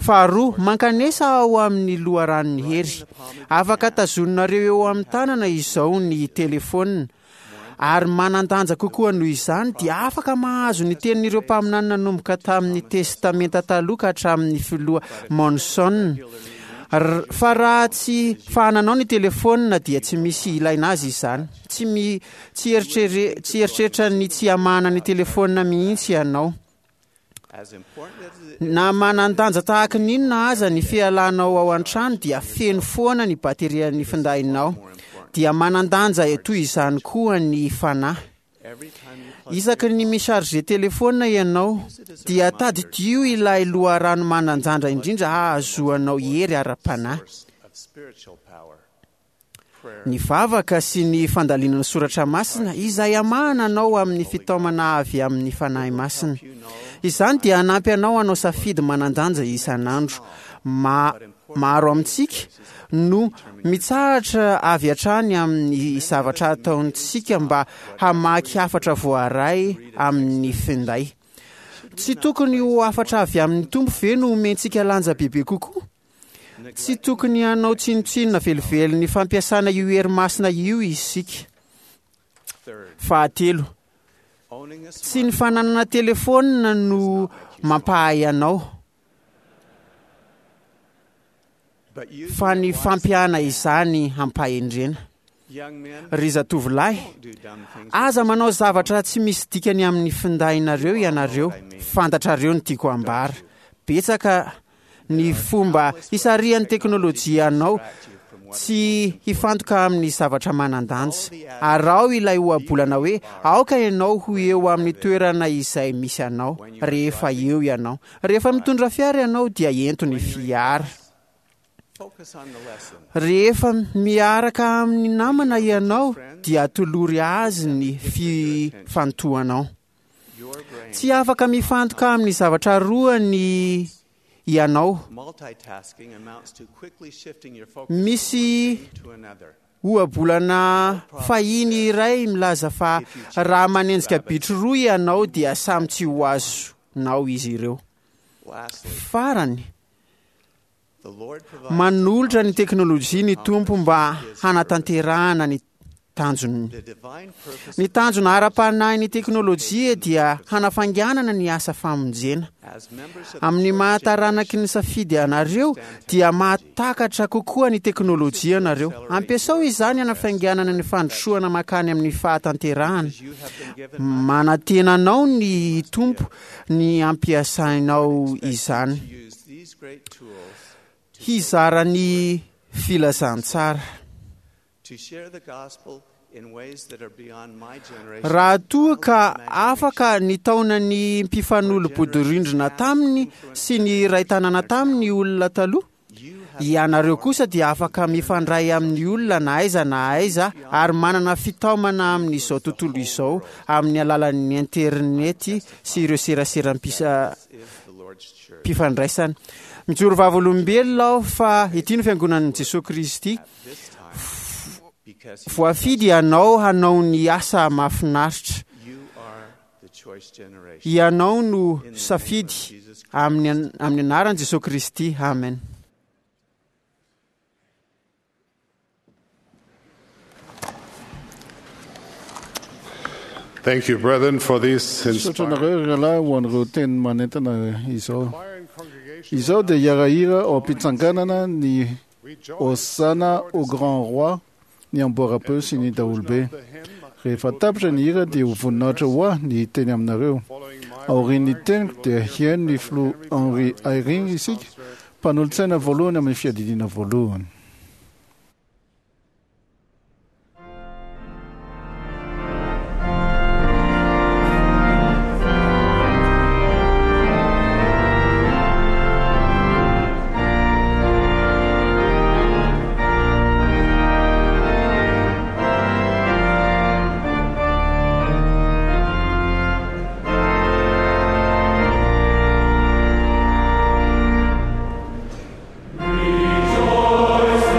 Faharoa, mankanesa ao amin'ny loharanon'ny hery. Afaka tazoninareo eo amin'ny tanana izao ny telefônina. Ary manan-danja kokoa noho izany dia afaka mahazo ny tenin'ireo mpaminany nanomboka tamin'ny Testamenta Taloha ka hatramin'ny filoha Monson. Fa raha tsy fahananao ny telefônina dia tsy misy ilaina azy izany. Tsy mi, tsy eritrere, tsy eritreritra ny tsy hamahana ny telefônina mihitsy ianao. Na manan-danja tahaka ny inona aza ny fialanao ao an-trano dia feno foana ny baterian'ny findainao. Dia manan-danja toy izany koa ny fanahy. Isaky ny mi-charger telefônina ianao dia tadidio ilay loharano manan-danja indrindra hahazoanao hery ara-panahy. Ny vavaka sy ny fandalinana soratra masina izay hamahana anao amin'ny fitaomana avy amin'ny Fanahy Masina. Izany dia hanampy anao hanao safidy manan-danja isan'andro. Ma, maro amintsika no mitsahatra avy hatrany amin'ny zavatra ataontsika mba hamaky hafatra voaray amin'ny finday. Tsy tokony ho hafatra avy amin'ny Tompo ve no omentsika lanja bebe kokoa? Tsy tokony hanao tsinontsinona velively ny fampiasana io hery masina io isika. Fahatelo, tsy ny fananana telefônina no mampahay anao, fa ny fampiana izany hampahendrena. Ry zatovolahy, aza manao zavatra tsy misy dikany amin'ny findainareo ianareo. Fantatrareo ny tiako ambara. Betsaka ny fomba hisarihan'ny teknôlôjia anao tsy hifantoka amin'ny zavatra manan-danja. Araho ilay ohabolana hoe aoka ianao ho eo amin'ny toerana izay misy anao rehefa eo ianao. Rehefa mitondra fiara ianao dia ento ny fiara. Rehefa miaraka amin'ny namana ianao dia atolory azy ny fifantohanao. Tsy afaka mifantoka amin'ny zavatra roa ny ianao. Misy ohabolana fahiny iray milaza fa raha manenjika bitro roa ianao dia samy tsy ho azonao izy ireo. Farany, manolotra ny teknôlôjia ny Tompo mba hanatanterahana ny tanjony. Ny tanjona ara-panahy ny teknôlôjia dia hanafainganana ny asa famonjena. Amin'ny mahataranaky ny safidy anareo dia mahatakatra kokoa ny teknôlôjia anareo. Ampiasao izany hanafainganana ny fandrosoana mankany amin'ny fahatanterahana. Manantena anao ny Tompo ny ampiasainao izany. Hizara ny filazantsara. Raha toa ka afaka nitaona ny mpifanolo-bodirindrina taminy sy ny iray tanàna taminy olona taloha, Ianareo kosa dia afaka mifandray amin'ny olona na aiza na aiza ary manana fitaomana amin'izao tontolo izao amin'ny alalan'ny internety sy ireo seraseram-pifandraisana. Mijoro vavolombelona aho fa ity no fiangonan'i Jesosy Kristy. Voafidy ianao hanao ny asa mahafinaritra. Ianao no safidy amin'ny amin'ny anaran'i Jesosy Kristy. Amen. Thank you, brethren, for these Misaotra anareo rahalahy ho an'ireo teny manentana izao. Izao dia hiara-hira ao am-pitsanganana ny Hosanna au Grand Roi, ny amboara-peo sy ny daholobe. Rehefa tapitra ny hira dia ho voninahitra ho ahy ny teny aminareo. Aorian'ny teniko dia hihaino ny filoha Henry Eyring isika, mpanolotsaina voalohany amin'ny fiadidiana voalohany. Rejoice,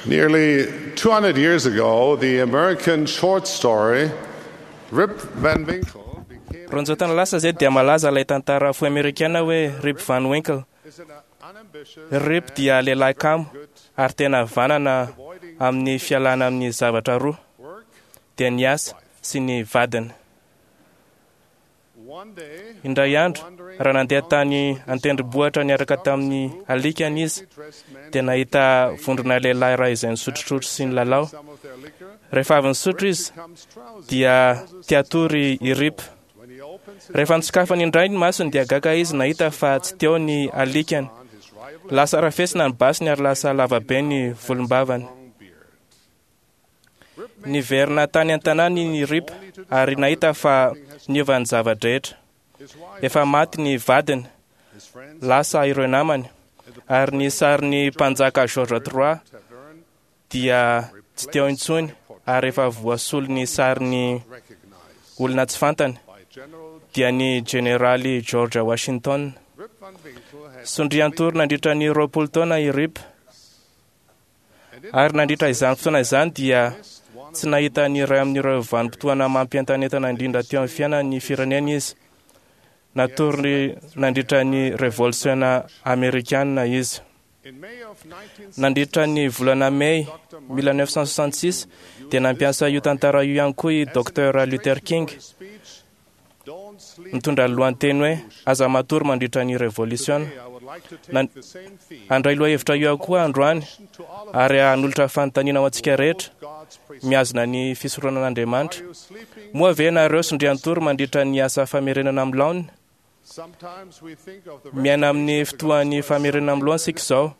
Nearly two hundred years ago, the American short story Rip Van Winkle Roanjato taona lasa zay dia malaza ilay tantara fohy amerikana hoe Rip Van Winkle. Rip dia lehilahy kamo ary tena vanana amin'ny fialana amin'ny zavatra roa, dia ny asa sy ny vadiny. Indray andro, raha nandeha tany an-tendrombohitra niaraka tamin'ny alikany izy, dia nahita vondrona lehilahy iray izay nisotrosotro sy nilalao. Rehefa avy nisotro izy, dia te-hatory i Rip. Rehefa nisokafany indray ny masony dia gaga izy nahita fa tsy teo ny alikany. Lasa rafesina ny basiny ary lasa lavabe ny volombavany. Niverina tany an-tanàna i Rip ary nahita fa niova ny zava-drehetra. Efa maty ny vadiny, lasa ireo namany, ary ny sarin'ny mpanjaka George trois dia tsy teo intsony ary efa voasolo ny sarin'ny olona tsy fantany, dia ny jeneraly George Washington. Sondrian-tory nandritra ny roapolo taona i Rip, ary nandritra izany fotoana izany dia tsy nahita ny iray amin'ireo vanim-potoana mampientanentana indrindra teo amin'ny fiainan'ny firenena izy. Natory nandritra ny revolisiona amerikana izy. Nandritra ny volana Mey mille neuf cent soixante-six dia nampiasa io tantara io ihany koa i Docteur Luther King, mitondra ny lohateny hoe aza matory mandritra ny revolisiona. Handray lohahevitra io ihany koa androany ary hanolotra fanontaniana ho antsika rehetra mihazona ny fisoronan'Andriamanitra. Moa ve nareo sondrian-tory mandritra ny asa famerenana amin'ny laoniny? Miaina amin'ny fotoan'ny famerenana amin'ny laoniny isika izao.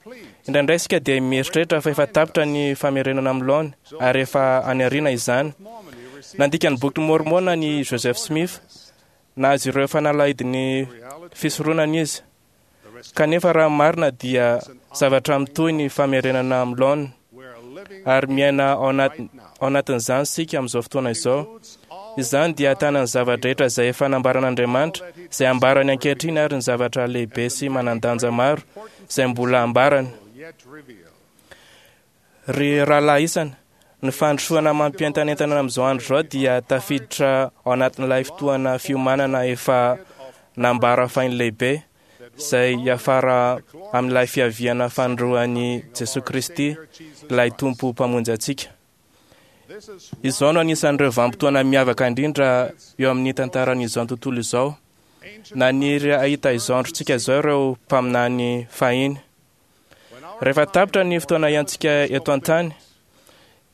Indraindray isika dia mieritreritra fa efa tapitra ny famerenana amin'ny laoniny ary efa any aoriana izany. Nandika ny boky Mormona ny Joseph Smith, nahazo ireo fanalahidin'ny fisoronana izy. Kanefa raha marina dia zavatra mitohy ny famerenana amin'ny laoniny ary miaina ao anatin'izany isika amin'izao fotoana izao. Izany dia ahitana ny zava-drehetra izay efa nambaran'Andriamanitra, izay ambarany ankehitriny ary ny zavatra lehibe sy manan-danja maro izay mbola ambarany. Ry rahalahy isany, ny fandrosoana mampientanentana amin'izao andro izao dia tafiditra ao anatin'ilay fotoana fiomanana efa nambara fahiny lehibe, izay hiafara amin'ilay fiaviana fanindroan'i Jesoa Kristy, ilay Tompo Mpamonjy antsika. Izao no anisan'ireo vanim-potoana miavaka indrindra eo amin'ny tantaran'izao tontolo izao. Naniry hahita izao androntsika izao ireo mpaminany fahiny. Rehefa tapitra ny fotoana iainantsika eto an-tany,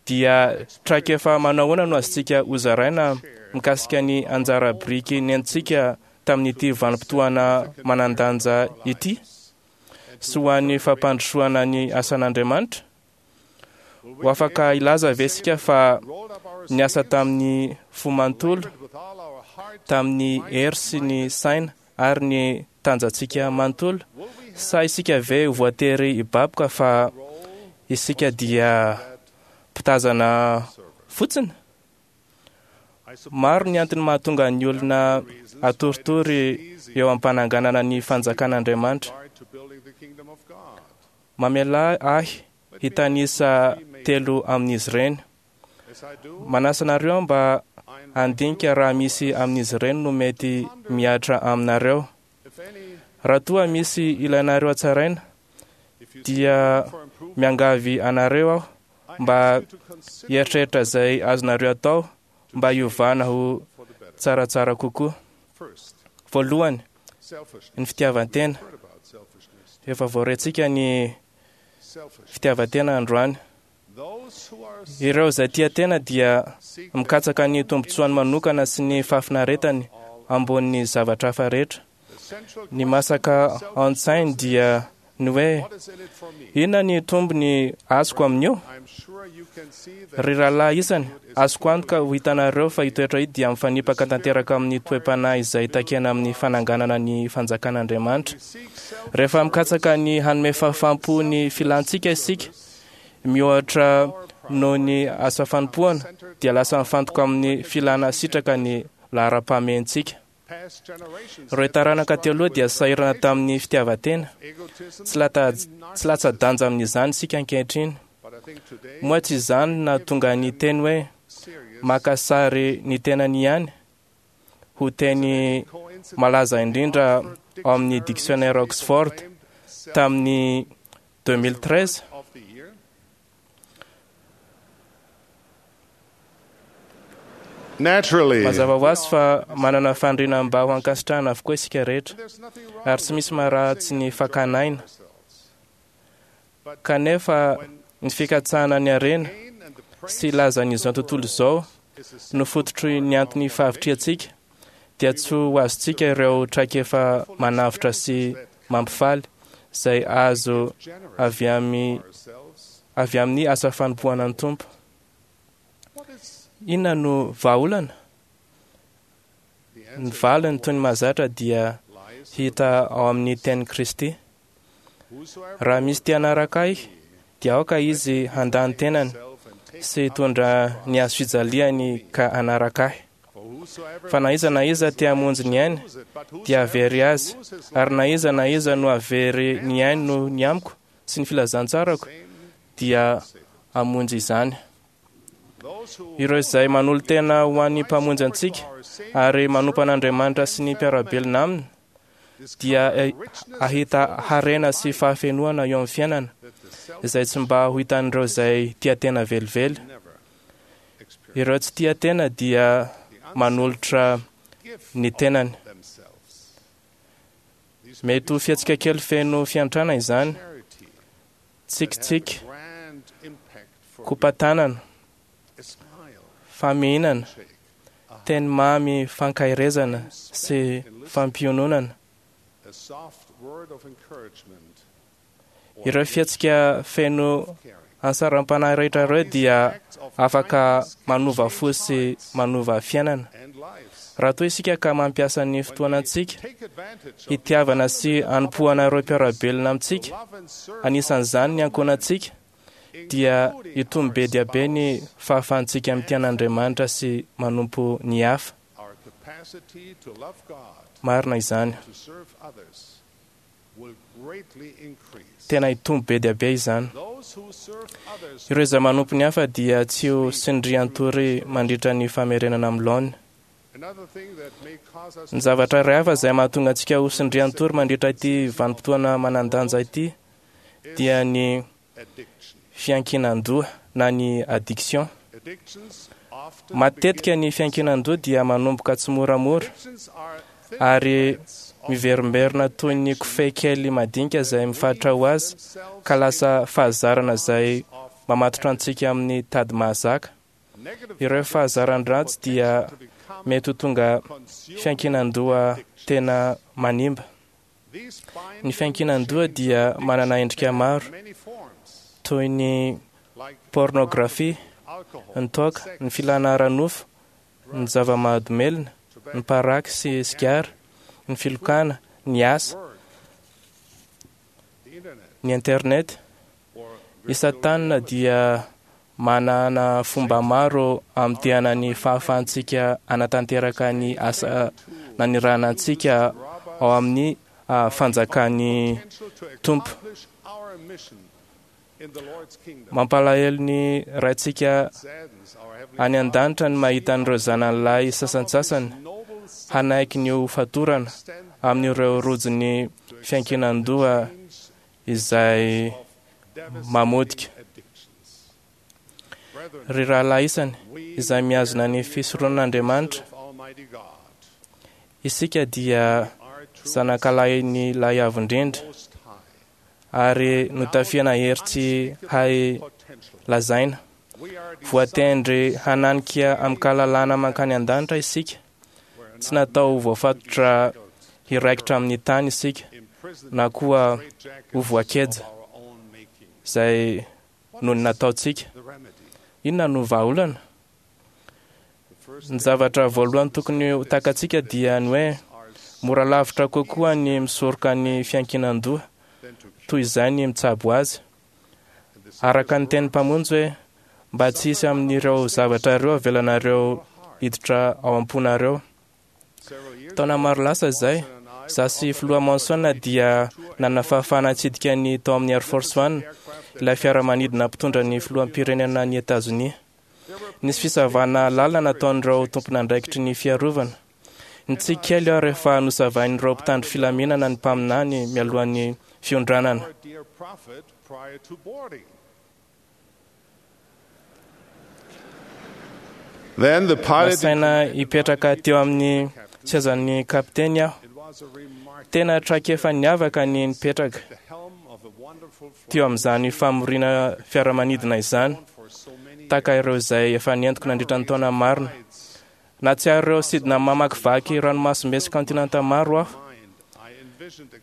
dia traikefa manao ahoana no azontsika hozaraina mikasika ny anjara biriky nentintsika tamin'ity vanim-potoana manan-danja ity sy ho an'ny fampandrosoana ny asan'Andriamanitra? Ho afaka hilaza ve isika fa niasa tamin'ny fo manontolo, tamin'ny hery sy ny saina ary ny tanjantsika manontolo? Sa isika ve ho voatery hibaboka fa isika dia mpitazana fotsiny? Maro ny antony mahatonga ny olona atoritory eo am-pananganana ny fanjakan'Andriamanitra. Mamela ahy hitanisa telo amin'izy ireny. Manasa anareo mba handinika raha misy amin'izy ireny no mety mihatra aminareo. Raha toa misy ilainareo hatsaraina, dia miangavy anareo aho mba hieritreritra izay azonareo atao mba hiovana ho tsaratsara kokoa. Voalohany, ny fitiavan-tena. Efa voarentsika ny fitiavan-tena androany. Ireo izay tia tena dia mikatsaka ny tombontsoany manokana sy ny fahafinaretany ambonin'ny zavatra hafa rehetra. Ny masaka an-tsainy dia ny hoe inona ny tombony azoko amin'io? Ry rahalahy isany, azoko antoka ho hitanareo fa io toetra io dia mifanipaka tanteraka amin'ny toe-panahy izay takiana amin'ny fananganana ny fanjakan'Andriamanitra. Rehefa mikatsaka ny hanome fahafaham-po ny filantsika isika, mihoatra noho ny asa fanompoana, dia lasa mifantoka amin'ny filana sitraka ny laharam-pahamehantsika. Ireo taranaka teo aloha dia sahirana tamin'ny fitiavan-tena. Tsy latsa-danja amin'izany isika ankehitriny. Moa tsy izany nahatonga ny teny hoe maka sary ny tenany ihany ho teny malaza indrindra ao amin'ny dictionnaire Oxford tamin'ny deux mille treize? Mazava ho azy fa manana faniriana mba ho ankasitrahana avokoa isika rehetra, ary tsy misy maharatsy ny fakana aina. Kanefa ny fikatsahana ny harena sy lazan'izao tontolo izao no fototry ny antony fahavitrihantsika, dia tsy ho azontsika ireo traikefa manavotra sy mampifaly izay azo avy amin'ny avy amin'ny asa fanompoana ny Tompo. Inona no vahaolana? Ny valiny toy ny mahazatra dia hita ao amin'ny tenin'i Kristy. Raha misy te hanaraka ahy, dia aoka izy handà ny tenany sy hitondra ny hazo fijaliany ka hanaraka ahy. Fa na iza na iza te hamonjy ny ainy, dia hahavery azy, ary na iza na iza no hahavery ny ainy noho ny amiko sy ny filazantsarako, dia hamonjy izany. Ireo izay manolo-tena ho an'ny Mpamonjy antsika ary manompo an'Andriamanitra sy ny mpiara-belona aminy, dia hahita harena sy fahafenoana eo amin'ny fiainana, izay tsy mba ho hitan'ireo izay tia tena velively. Ireo tsy tia tena dia manolotra ny tenany. Mety ho fihetsika kely feno fiantrana izany, tsikitsiky, kopa-tanana, famihinana, teny mamy fankaherezana sy fampiononana. Ireo fihetsika feno ansaram-panahy rehetra ireo dia afaka manova fo sy manova fiainana. Raha toa isika ka mampiasa ny fotoanantsika hitiavana sy hanompoana ireo mpiara-belona amintsika, anisan'izany ny ankohonantsika, dia hitombo be dia be ny fahafahantsika mitia an'Andriamanitra sy manompo ny hafa. Marina izany. Tena hitombo be dia be izany. Ireo izay manompo ny hafa dia tsy ho tsindrian-tory mandritra ny famerenana amin'ny laoniny. Ny zavatra iray hafa izay mahatonga antsika ho tsindrian-tory mandritra ity vanim-potoana manan-danja ity dia ny fiankinan-doha na ny addiction. Matetika ny fiankinan-doha dia manomboka tsimoramora ary miverimberina toy ny kofehy kely madinika izay mifatotra ho azy ka lasa fahazarana izay mamatotra antsika amin'ny tady mahazaka. Ireo fahazaran-dratsy dia mety ho tonga fiankinan-doha tena manimba. Ny fiankinan-doha dia manana endrika maro toy ny pornografia, ny toaka, ny filana ara-nofo, ny zava-mahadomelina, ny paraky sy sigara, ny filokana, ny asa, ny internet. I Satana dia manana fomba maro hamotehana ny fahafahantsika hanatanteraka ny asa nanirahana antsika ao amin'ny fanjakan'ny Tompo. Mampalahelo ny Raintsika any an-danitra ny mahita an'ireo zanany lahy sasantsasany hanaiky ny ho fatorana amin'ireo rojon'ny fiankinan-doha izay mamotika. Ry rahalahy isany izay mihazona ny fisoronan'Andriamanitra, isika dia zanakalahin'ny lahy avo indrindra ary notafiana hery tsy hay lazaina. Voatendry hananika amin-kalalana mankany an-danitra isika. Tsy natao ho voafatotra hiraikitra amin'ny tany isika, na koa ho voakeja izay noho ny nataontsika. Inona no vahaolana? Ny zavatra voalohany tokony ho takatsika dia ny hoe mora lavitra kokoa ny misoroka ny fiankinan-doha toy izay ny mitsabo azy. Araka ny tenin'ny Mpamonjy hoe mba tsy hisy amin'ireo zavatra ireo avelanareo hiditra ao am-ponareo. Taona maro lasa izay, izaho sy Filoha Monson dia nanana fahafahana nitsidika ny tao amin'ny Air Force One, ilay fiaramanidina mpitondra ny filoham-pirenena ny Etazonia. Nisy fisavana lalina nataon'ireo tompon'andraikitry ny fiarovana. Nitsiky kely aho rehefa nosavain'ireo mpitandro filaminana ny mpaminany mialohan'ny fiondranana. Then the pilot Nasaina hipetraka teo amin'ny sezan'ny kapiteny aho. Tena traikefa niavaka ny nipetraka teo amin'izany famoriana fiaramanidina izany, tahaka ireo izay efa nentiko nandritra ny taona marina. Nahatsiaro ireo sidina mamakivaky ranomasimbe sy kontinanta maro aho.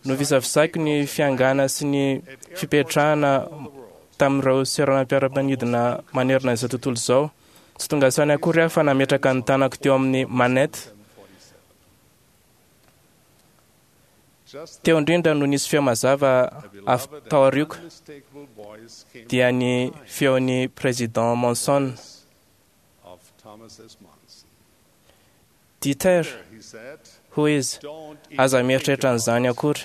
Novisavisaiko ny fiangana sy ny fipetrahana tamin'ireo seranam-piaramanidina manerana izao tontolo izao. Tsy tonga saina akory aho fa nametraka ny tanako teo amin'ny manette. Teo indrindra no nisy feo mazava avy tao aoriako, dia ny feon'ny Président Monson. Dieter, hoy izy, aza mieritreritra an'izany akory.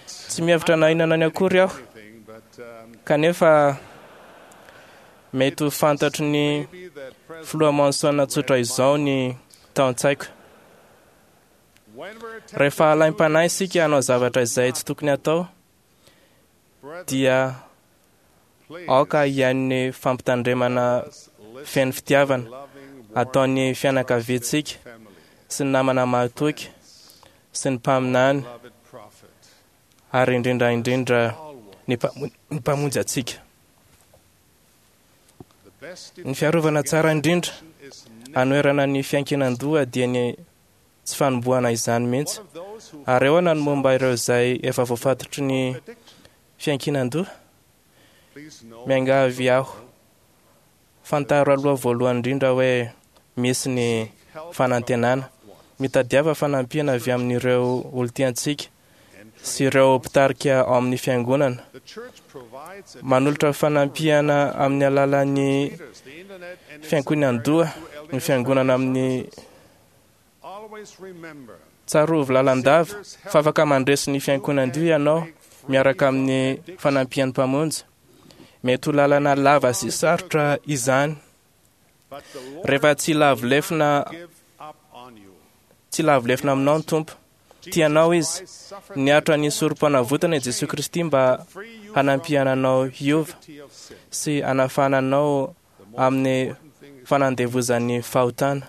Tsy mihevitra na inona ny akory aho, kanefa mety ho fantatry ny filoha Monson tsotra izao ny tao an-tsaiko. Rehefa alaim-panahy isika hanao zavatra izay tsy tokony hatao, dia aoka hihaino ny fampitandremana feno fitiavana ataon'ny fianakaviantsika sy ny namana mahatoky sy ny mpaminany ary indrindra indrindra ny mpamonjy antsika. Ny fiarovana tsara indrindra anoherana ny fiankinan-doha dia ny tsy fanombohana izany mihitsy. Ary ahoana ny momba ireo izay efa voafatotry ny fiankinan-doha? Miangavy aho, fantaro aloha voalohany indrindra hoe misy ny fanantenana. Mitadiava fanampiana avy amin'ireo olon-tiantsika sy ireo mpitarika ao amin'ny fiangonana. Manolotra fanampiana amin'ny alalan'ny fiankinan-doha ny fiangonana amin'ny tsarovy lalandava fa afaka mandresy ny fiankinan-doha ianao miaraka amin'ny fanampian'ny Mpamonjy. Mety ho lalana lava sy sarotra izany. Rehefa tsy lavo lefona tsy lavo lefona aminao ny Tompo, tianao Izy. Niaritra ny sorom-panavotana i Jesoa Kristy mba hanampiana anao hiova sy hanafahana anao amin'ny fanandevozan'ny fahotana.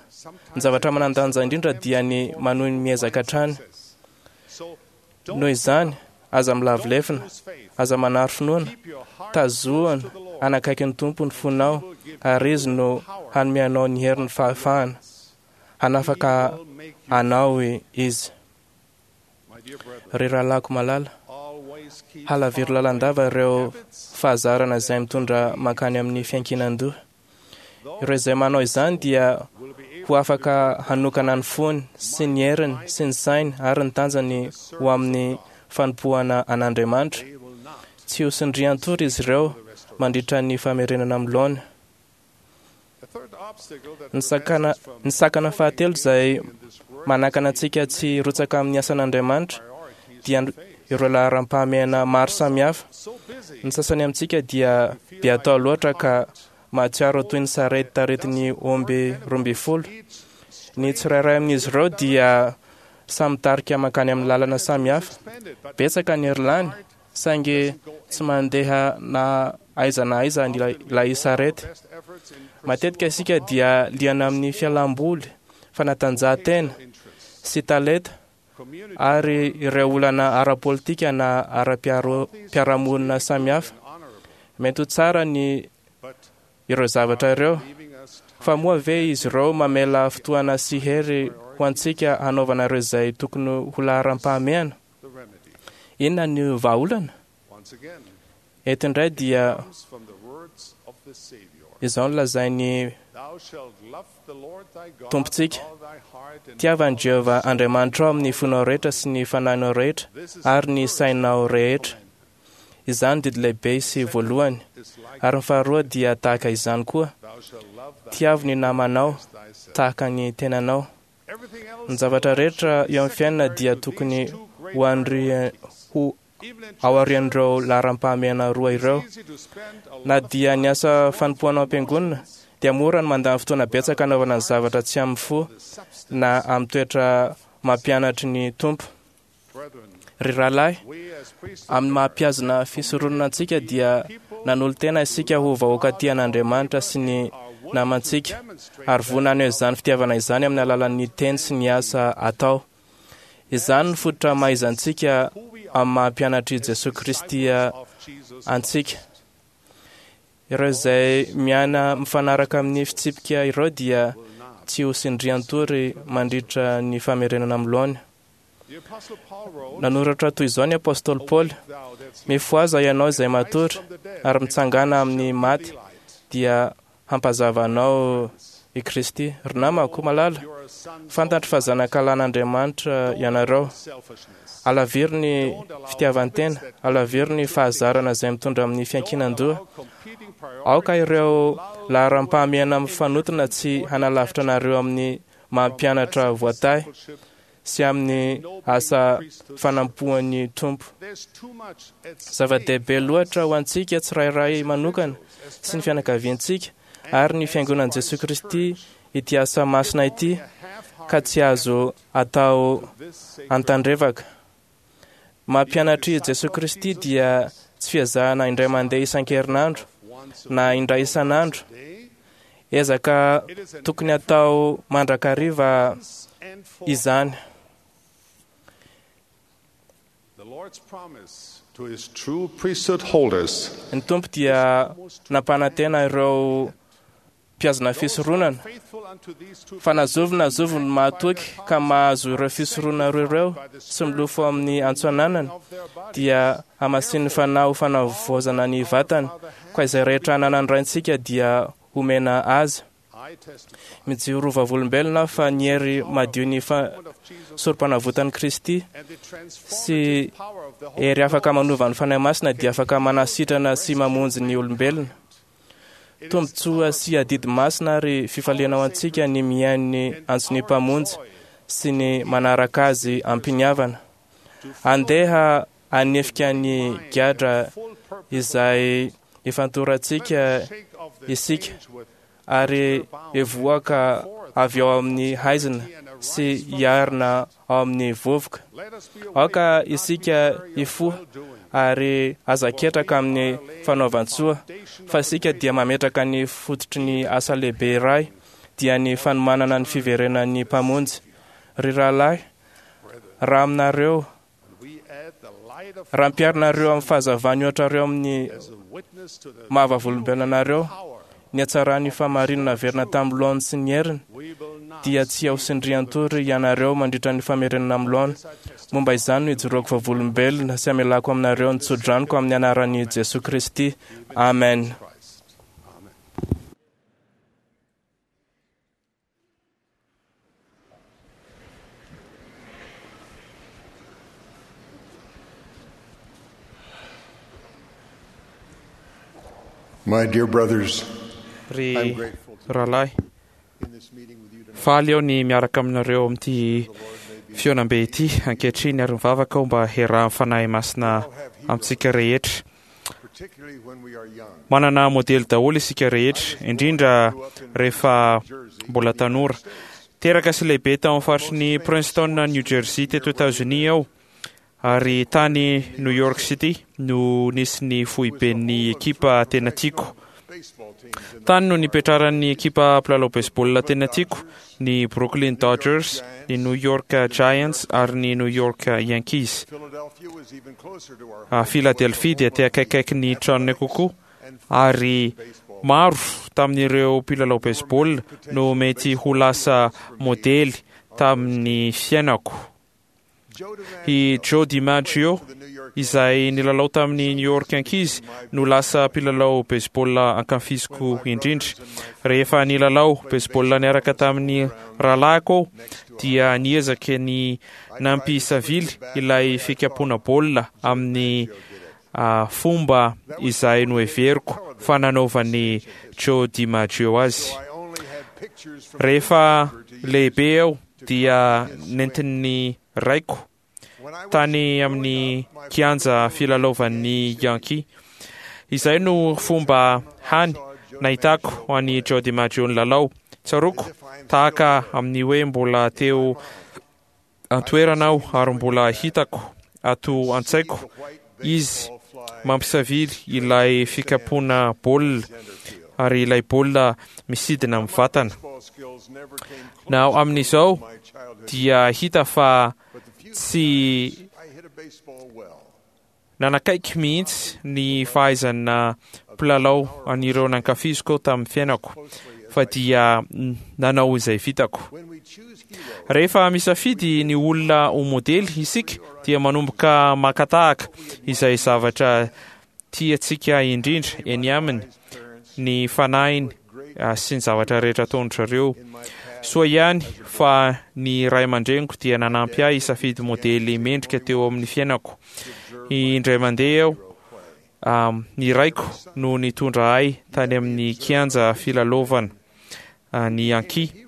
Ny zavatra manan-danja indrindra dia ny manohy ny miezaka hatrany. Noho izany, aza milavo lefona, aza manary finoana, tazoana anakaiky ny Tompo ny fonao, ary Izy no hanome anao ny herin'ny fahafahana. Hanafaka anao Izy. Ry rahalahiko malala, halaviro lalandava ireo fahazarana izay mitondra mankany amin'ny fiankinan-doha. Ireo izay manao izany dia ho afaka hanokana ny fony sy ny heriny sy ny sainy ary ny tanjany ho amin'ny fanompoana an'Andriamanitra. Tsy ho sindrian-tory izy ireo mandritra ny famerenana amin'ny laona. Ny sakana, ny sakana fahatelo izay manakana antsika tsy hirotsaka amin'ny asan'Andriamanitra dia ireo laharam-pahamehana maro samihafa. Ny sasany amintsika dia be atao loatra ka mahatsiaro toy ny sarety taretin'ny omby roa ambin'ny folo. Ny tsirairay amin'izy ireo dia samy mitarika mankany amin'ny lalana samihafa. Betsaka ny hery lany, saingy tsy mandeha na aiza na aiza ilay sarety. Matetika isika dia liana amin'ny fialamboly, fanatanjahantena sy talenta ary ireo olana ara-politika na ara-piarahamonina samihafa. Mety ho tsara ny ireo zavatra ireo, fa moa ve izy ireo mamela fotoana sy hery ho antsika hanaovana ireo izay tokony ho laharam-pahamehana? Inona ny vahaolana? Eto indray dia izao no lazain'ny Tompontsika: tiava an'i Jehovah Andriamanitrao amin'ny fonao rehetra sy ny fanahinao rehetra ary ny sainao rehetra. Izany didy lehibe sy voalohany. Ary ny faharoa dia tahaka izany koa: tiavo ny namanao tahaka ny tenanao. Ny zavatra rehetra eo amin'ny fiainana dia tokony ho andri- ho aorian'ireo laharam-pahamehana roa ireo. Na dia ny asa fanompoana ao am-piangonana dia mora ny mandany fotoana betsaka hanaovana ny zavatra tsy amin'ny fo na amin'ny toetra mampianatry ny Tompo. Ry rahalahy, amin'ny maha-mpiazona fisoronana antsika dia nanolo-tena isika ho vahoaka tia an'Andriamanitra sy ny namantsika, ary vonona haneho izany fitiavana izany amin'ny alalan'ny teny sy ny asa atao. Izany no fototra mahaizantsika amin'ny maha-mpianatr'i Jesoa Kristy antsika. Ireo izay miaina mifanaraka amin'ny fitsipika ireo dia tsy ho sindrian-tory mandritra ny famerenana amin'ny laona. Nanoratra toy izao ny apôstôly Paoly: "Mifohaza ianao izay matory ary mitsangàna amin'ny maty, dia hampazava anao i Kristy." Ry namako malala, fantatro fa zanakalahin'Andriamanitra ianareo. Alaviro ny fitiavan-tena, alaviro ny fahazarana izay mitondra amin'ny fiankinan-doha. Aoka ireo laharam-pahamehana mifanotona tsy hanalavitra anareo amin'ny maha-mpianatra voatahy sy amin'ny asa fanampoan'ny Tompo. Zava-dehibe loatra ho antsika tsirairay manokana sy ny fianakaviantsika ary ny fiangonan'i Jesoa Kristy ity asa masina ity, ka tsy azo atao antandrevaka. Mampianatr'i Jesoa Kristy dia tsy fiezahana indray mandeha isan-kerinandro na indray isan'andro. Ezaka tokony atao mandrakariva izany. Ny Tompo dia nampanantena ireo mpiazona fisoronana fa na zovy na zovy no mahatoky ka mahazo ireo fisoronana roa ireo sy milofo amin'ny antso ananany dia hamasinin'ny Fanahy ho fanavaozana ny vatany, ka izay rehetra ananan'ny Raintsika dia homena azy. Mijoro vavolombelona aho fa ny hery madio ny sorom-panavotan'i Kristy sy hery afaka manova ny Fanahy Masina dia afaka manasitrana sy mamonjy ny olombelona. Tombontsoa sy adidy masina ary fifaliana ho antsika ny mihaino ny antson'ny Mpamonjy sy ny manaraka azy am-piniavana. Andeha hanefika ny gadra izay ifantorantsika isika ary hivoaka avy ao amin'ny haizina sy hiarina ao amin'ny vovoka. Aoka isika hifoha ary aza ketraka amin'ny fanaovan-tsoa, fa isika dia mametraka ny fototry ny asa lehibe iray, dia ny fanomanana ny fiverenan'ny Mpamonjy. Ry rahalahy, raha aminareo, raha ampiharinareo amin'ny fahazavany ohatrareo amin'ny maha-vavolombelona anareo, ny hatsaran'ny fahamarinana averina tamin'ny laoniny sy ny heriny dia tsy ho sindrian-tory ianareo mandritra ny famerenana amin'ny laona. Momba izany no ijoroako vavolombelona sy amelako aminareo ny tsodranoko amin'ny anaran'i Jesoa Kristy. Amen. My dear brothers, Ry rahalahy, faly aho ny miaraka aminareo amin'ity fihaonambe ity ankehitriny ary mivavaka aho mba hiarahan'ny Fanahy Masina amintsika rehetra. Manana modely daholo isika rehetra, indrindra rehefa mbola tanora. Teraka sy lehibe tao amin'ny faritry ny Princeton, New Jersey teto Etazonia aho, ary tany New York City no nisy ny foiben'ny ekipa tena tiako. Tany no nipetraran'ny ekipa mpilalao baseball tena tiako, ny Brooklyn Dodgers, ny New York Giants ary ny New York Yankees. Philadelphia dia te akaikaiky ny tranonay kokoa, ary maro tamin'ireo mpilalao baseball no mety ho lasa modely tamin'ny fiainako. I Joe DiMaggio, izay nilalao tamin'ny New York Yankees, no lasa mpilalao baseball ankafiziko indrindra. Rehefa nilalao baseball niaraka tamin'ny rahalahiko aho, dia niezaka ny nampisavily ilay fikapoana baolina amin'ny fomba izay noheveriko fa nanaovan'i Joe DiMaggio azy. Rehefa lehibe aho dia nentin'ny raiko tany amin'ny kianja filalaovan'ny Yankee. Izay no fomba hany nahitako an'i Joe DiMaggio nilalao. Tsaroako tahaka amin'ny hoe mbola teo an-toerana aho ary mbola hitako ato an-tsaiko izy mampisavily ilay fikapoana baolina ary ilay baolina misidina amin'ny vatana. Na amin'izao dia hita fa tsy nanakaiky mihitsy ny fahaizana mpilalao an'ireo nankafiziko tamin'ny fiainako. fa dia nanao izay vitako. Rehefa misafidy ny olona ho modely isika dia manomboka maka tahaka izay zavatra tiantsika indrindra eny aminy, ny fanahiny sy ny zavatra rehetra ataon-dry zareo. Soa ihany fa ny ray aman-dreniko dia nanampy ahy hisafidy modely mendrika teo amin'ny fiainako. Indray mandeha aho, ny raiko no nitondra ahy tany amin'ny kianja filalaovana ny ankihy.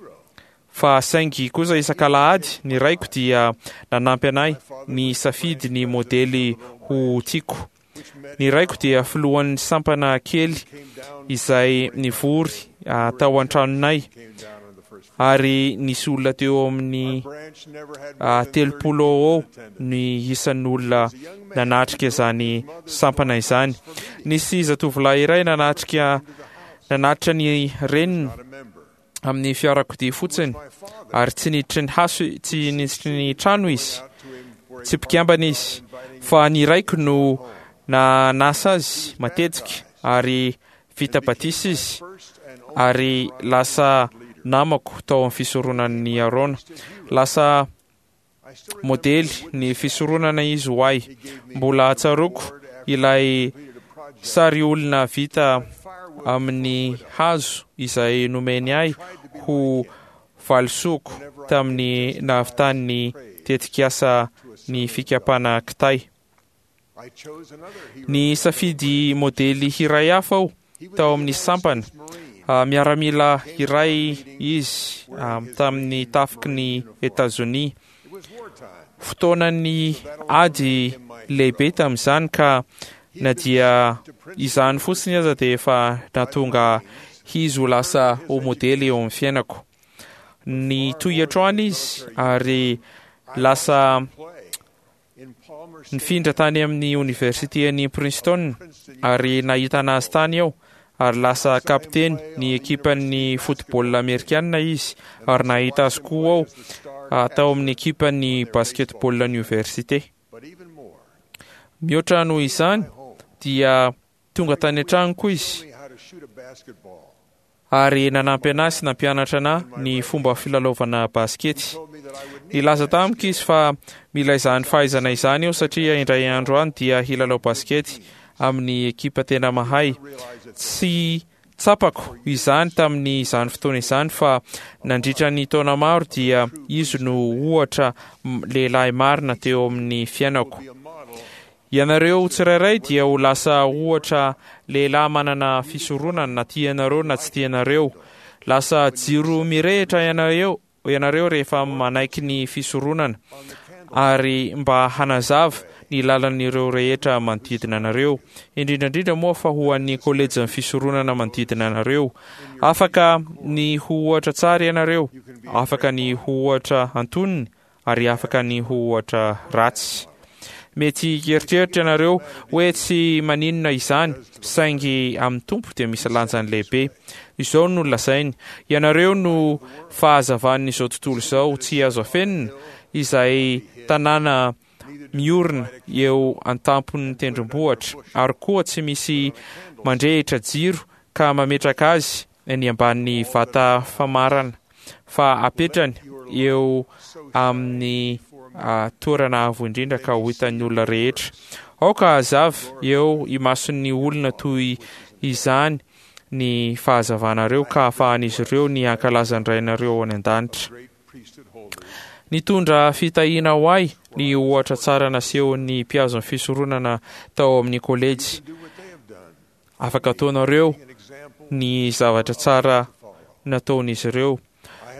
Fa saingy kosa isak'alahady ny raiko dia nanampy anay nisafidy ny modely ho tiako. Ny raiko dia filohan'ny sampana kely izay nivory tao an-tranonay, ary nisy olona teo amin'ny telopolo eo eo ny isan'ny olona nanatrika izany sampana izany. Nisy zatovolahy iray nanatrika nanatitra ny reniny amin'ny fiarakodia fotsiny, ary tsy niditry ny haso, tsy niditry ny trano izy, tsy mpikambana izy, fa ny raiko no nanasa azy matetika, ary vita batisa izy, ary lasa namako tao amin'ny fisoronan'ny Arona. Lasa modely ny fisoronana izy ho ahy. Mbola tsaroako ilay sary olona vita amin'ny hazo izay nomeny ahy ho valisoako tamin'ny nahavitan'ny tetikasa ny fikapana kitay. Ny safidy modely iray hafa aho tao amin'ny sampana. Miaramila iray izy tamin'ny tafiky ny Etazonia. Fotoanan'ny ady lehibe tamin'izany, ka na dia izany fotsiny aza dia efa nahatonga izy ho lasa ho modely eo amin'ny fiainako. Nitohy hatrany izy ary lasa nifindra tany amin'ny oniversiten'i Princeton, ary nahitana azy tany aho, ary lasa kapiteny ny ekipan'ny football amerikana izy, ary nahita azy koa aho tao amin'ny ekipan'ny basketball oniversite. Mihoatra noho izany dia tonga tany an-tranoko izy ary nanampy anahy sy nampianatra anahy ny fomba filalaovana baskety. Nilaza tamiko izy fa mila izany fahaizana izany eo, satria indray andro any dia hilalao baskety amin'ny ekipa tena mahay. Tsy tsapako izany tamin'ny izany fotoana izany, fa nandritra ny taona maro dia izy no ohatra lehilahy marina teo amin'ny fiainako. Ianareo tsirairay dia ho lasa ohatra lehilahy manana fisoronana, na tianareo na tsy tianareo. Lasa jiro mirehitra ianareo ianareo rehefa manaiky ny fisoronana, ary mba hanazava ny lalan'ireo rehetra manodidina anareo, indrindra indrindra moa fa ho an'ny kolejin'ny fisoronana manodidina anareo. Afaka ny ho ohatra tsara ianareo, afaka ny ho ohatra antonony, ary afaka ny ho ohatra ratsy. Mety hieritreritra ianareo hoe tsy maninona izany, saingy amin'ny Tompo dia misy lanjany lehibe. Izao no lazainy: ianareo no fahazavan'izao tontolo izao, tsy azo afenina, izay tanàna miorina eo an-tampon'ny tendrombohitra, ary koa tsy misy mandrehitra jiro ka mametraka azy eny ambanin'ny vata famarana, fa apetrany eo amin'ny toerana avo indrindra ka ho hitan'ny olona rehetra. Aoka hazava eo imason'ny olona toy izany ny fahazavanareo, ka ahafahan'izy ireo ny hankalaza ny Rainareo any an-danitra. Nitondra fitahiana ho ahy ny ohatra tsara nasehon'ny mpiazon'ny fisoronana tao amin'ny kolejy. Afaka ataonareo ny zavatra tsara nataon'izy ireo.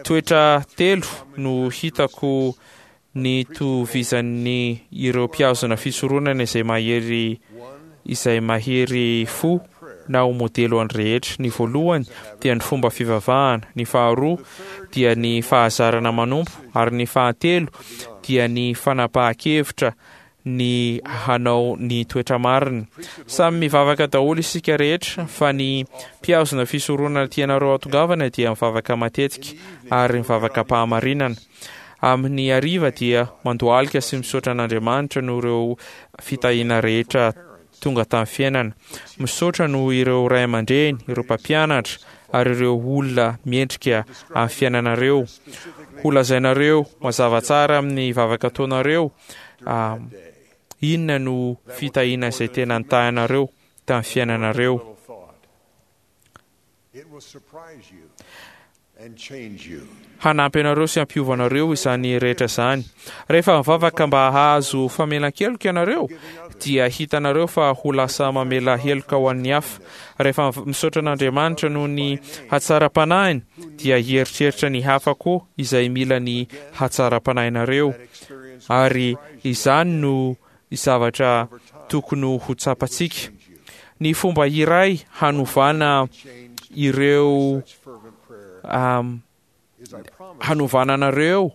Toetra telo no hitako nitovizan'ny ireo mpiazona fisoronana izay mahery izay mahery fo na ho modely ho an'ny rehetra. Ny voalohany dia ny fomba fivavahana, ny faharoa dia ny fahazarana manompo, ary ny fahatelo dia ny fanapahan-kevitra ny hanao ny toetra marina. Samy mivavaka daholo isika rehetra, fa ny mpiazona fisoronana tianareo hatongavana dia mivavaka matetika ary mivavaka am-pahamarinana. Amin'ny hariva dia mandohalika sy misaotra an'Andriamanitra noho ireo fitahiana rehetra tonga tamin'ny fiainana. Misaotra noho ireo ray aman-dreny, ireo mpampianatra ary ireo olona miendrika amin'ny fiainanareo. Ho lazainareo mazava tsara amin'ny vavaka ataonareo inona no fitahiana izay tena nitahinareo tamin'ny fiainanareo. Hanampy anareo sy hampiova anareo izany rehetra izany. Rehefa mivavaka mba hahazo famelan-keloka ianareo, dia hitanareo fa ho lasa mamela heloka ho an'ny hafa. Rehefa misaotra an'Andriamanitra noho ny hatsaram-panahiny, dia hieritreritra ny hafa koa izay mila ny hatsaram-panahinareo. Ary izany no zavatra tokony ho tsapantsika. Ny fomba iray hanovana ireo Um, hanovana anareo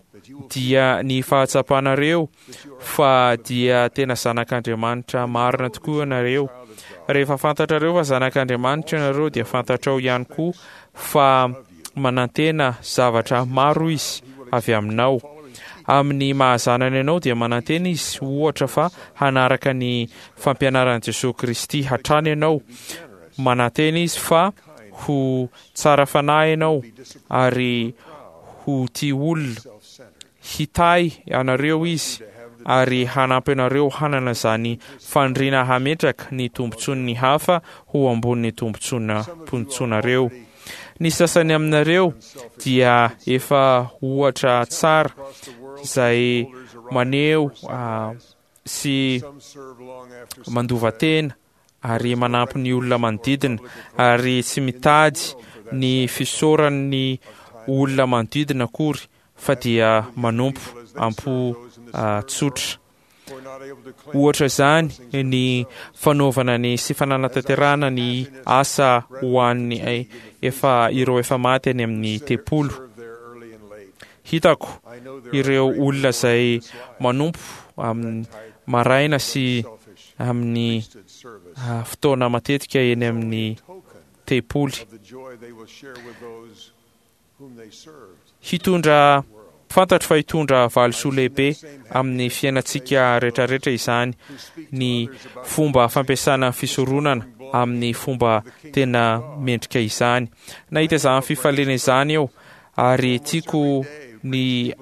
dia ny fahatsapanareo fa dia tena zanak'Andriamanitra marina tokoa ianareo. Rehefa fantatrareo fa zanak'Andriamanitra ianareo, dia fantatrao ihany koa fa manantena zavatra maro izy avy aminao. Amin'ny mahazanany anao dia manantena izy ohatra fa hanaraka ny fampianaran'i Jesosy Kristy hatrany ianao. Manantena izy fa ho tsara fanahy ianao ary ho tia olona. Hitahy anareo izy ary hanampy anareo hanana izany faniriana hametraka ny tombontsoan'ny hafa ho ambonin'ny tombontsoanareo. Ny sasany aminareo dia efa ohatra tsara izay maneho sy mandova tena ary manampy ny olona manodidina ary tsy mitady ny fisaoran'ny olona manodidina akory fa dia manompo am-po tsotra. Ohatra izany ny fanaovana ny sy fananatanterahana ny asa ho an'ny efa ireo efa maty any amin'ny tempoly. Hitako ireo olona izay manompo amin'ny maraina sy amin'ny fotoana matetika eny amin'ny tempoly. Hitondra fantatro fa hitondra valisoa lehibe amin'ny fiainantsika rehetrarehetra izany ny fomba fampiasana ny fisoronana amin'ny fomba tena mendrika izany. Nahita izany fifaliana izany eo ary tiako ny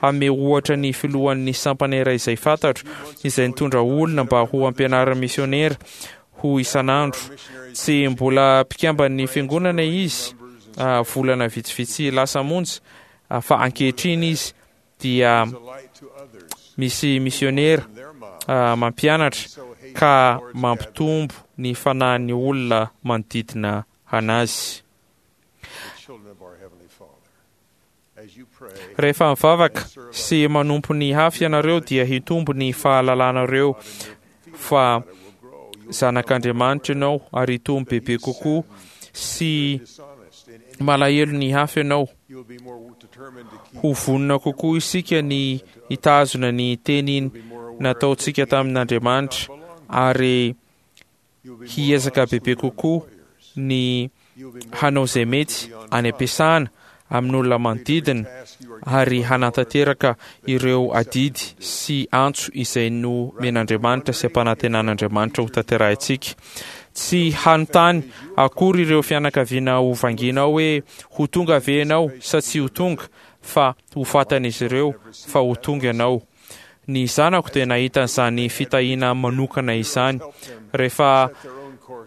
hanome ohatra ny filohan'ny sampana iray izay fantatro, izay nitondra olona mba ho ampianarin'ny misionera ho isan'andro. Tsy mbola mpikamban'ny fiangonana izy volana vitsivitsy lasa monja, fa ankehitriny izy dia misy misionera mampianatra ka mampitombo ny fanahin'ny olona manodidina anazy. Rehefa mivavaka sy manompo ny hafa ianareo dia hitombo ny fahalalanareo fa zanak'Andriamanitra ianao ary hitombo bebe kokoa sy malahelo ny hafa ianao. Ho vonona kokoa isika ny hitazona ny teny nataontsika tamin'Andriamanitra ary hiezaka bebe kokoa ny hanao izay mety any am-piasana amin'olona manodidina ary hanatanteraka ireo adidy sy antso izay nomen'Andriamanitra sy ampanantenan'Andriamanitra ho tanterahintsika. Tsy hanontany akory ireo fianakaviana ho vangianao hoe ho tonga ve ianao sa tsy ho tonga, fa ho fatan'izy ireo fa ho tonga ianao. Ny zanako dia nahita an'izany fitahiana manokana izany. Rehefa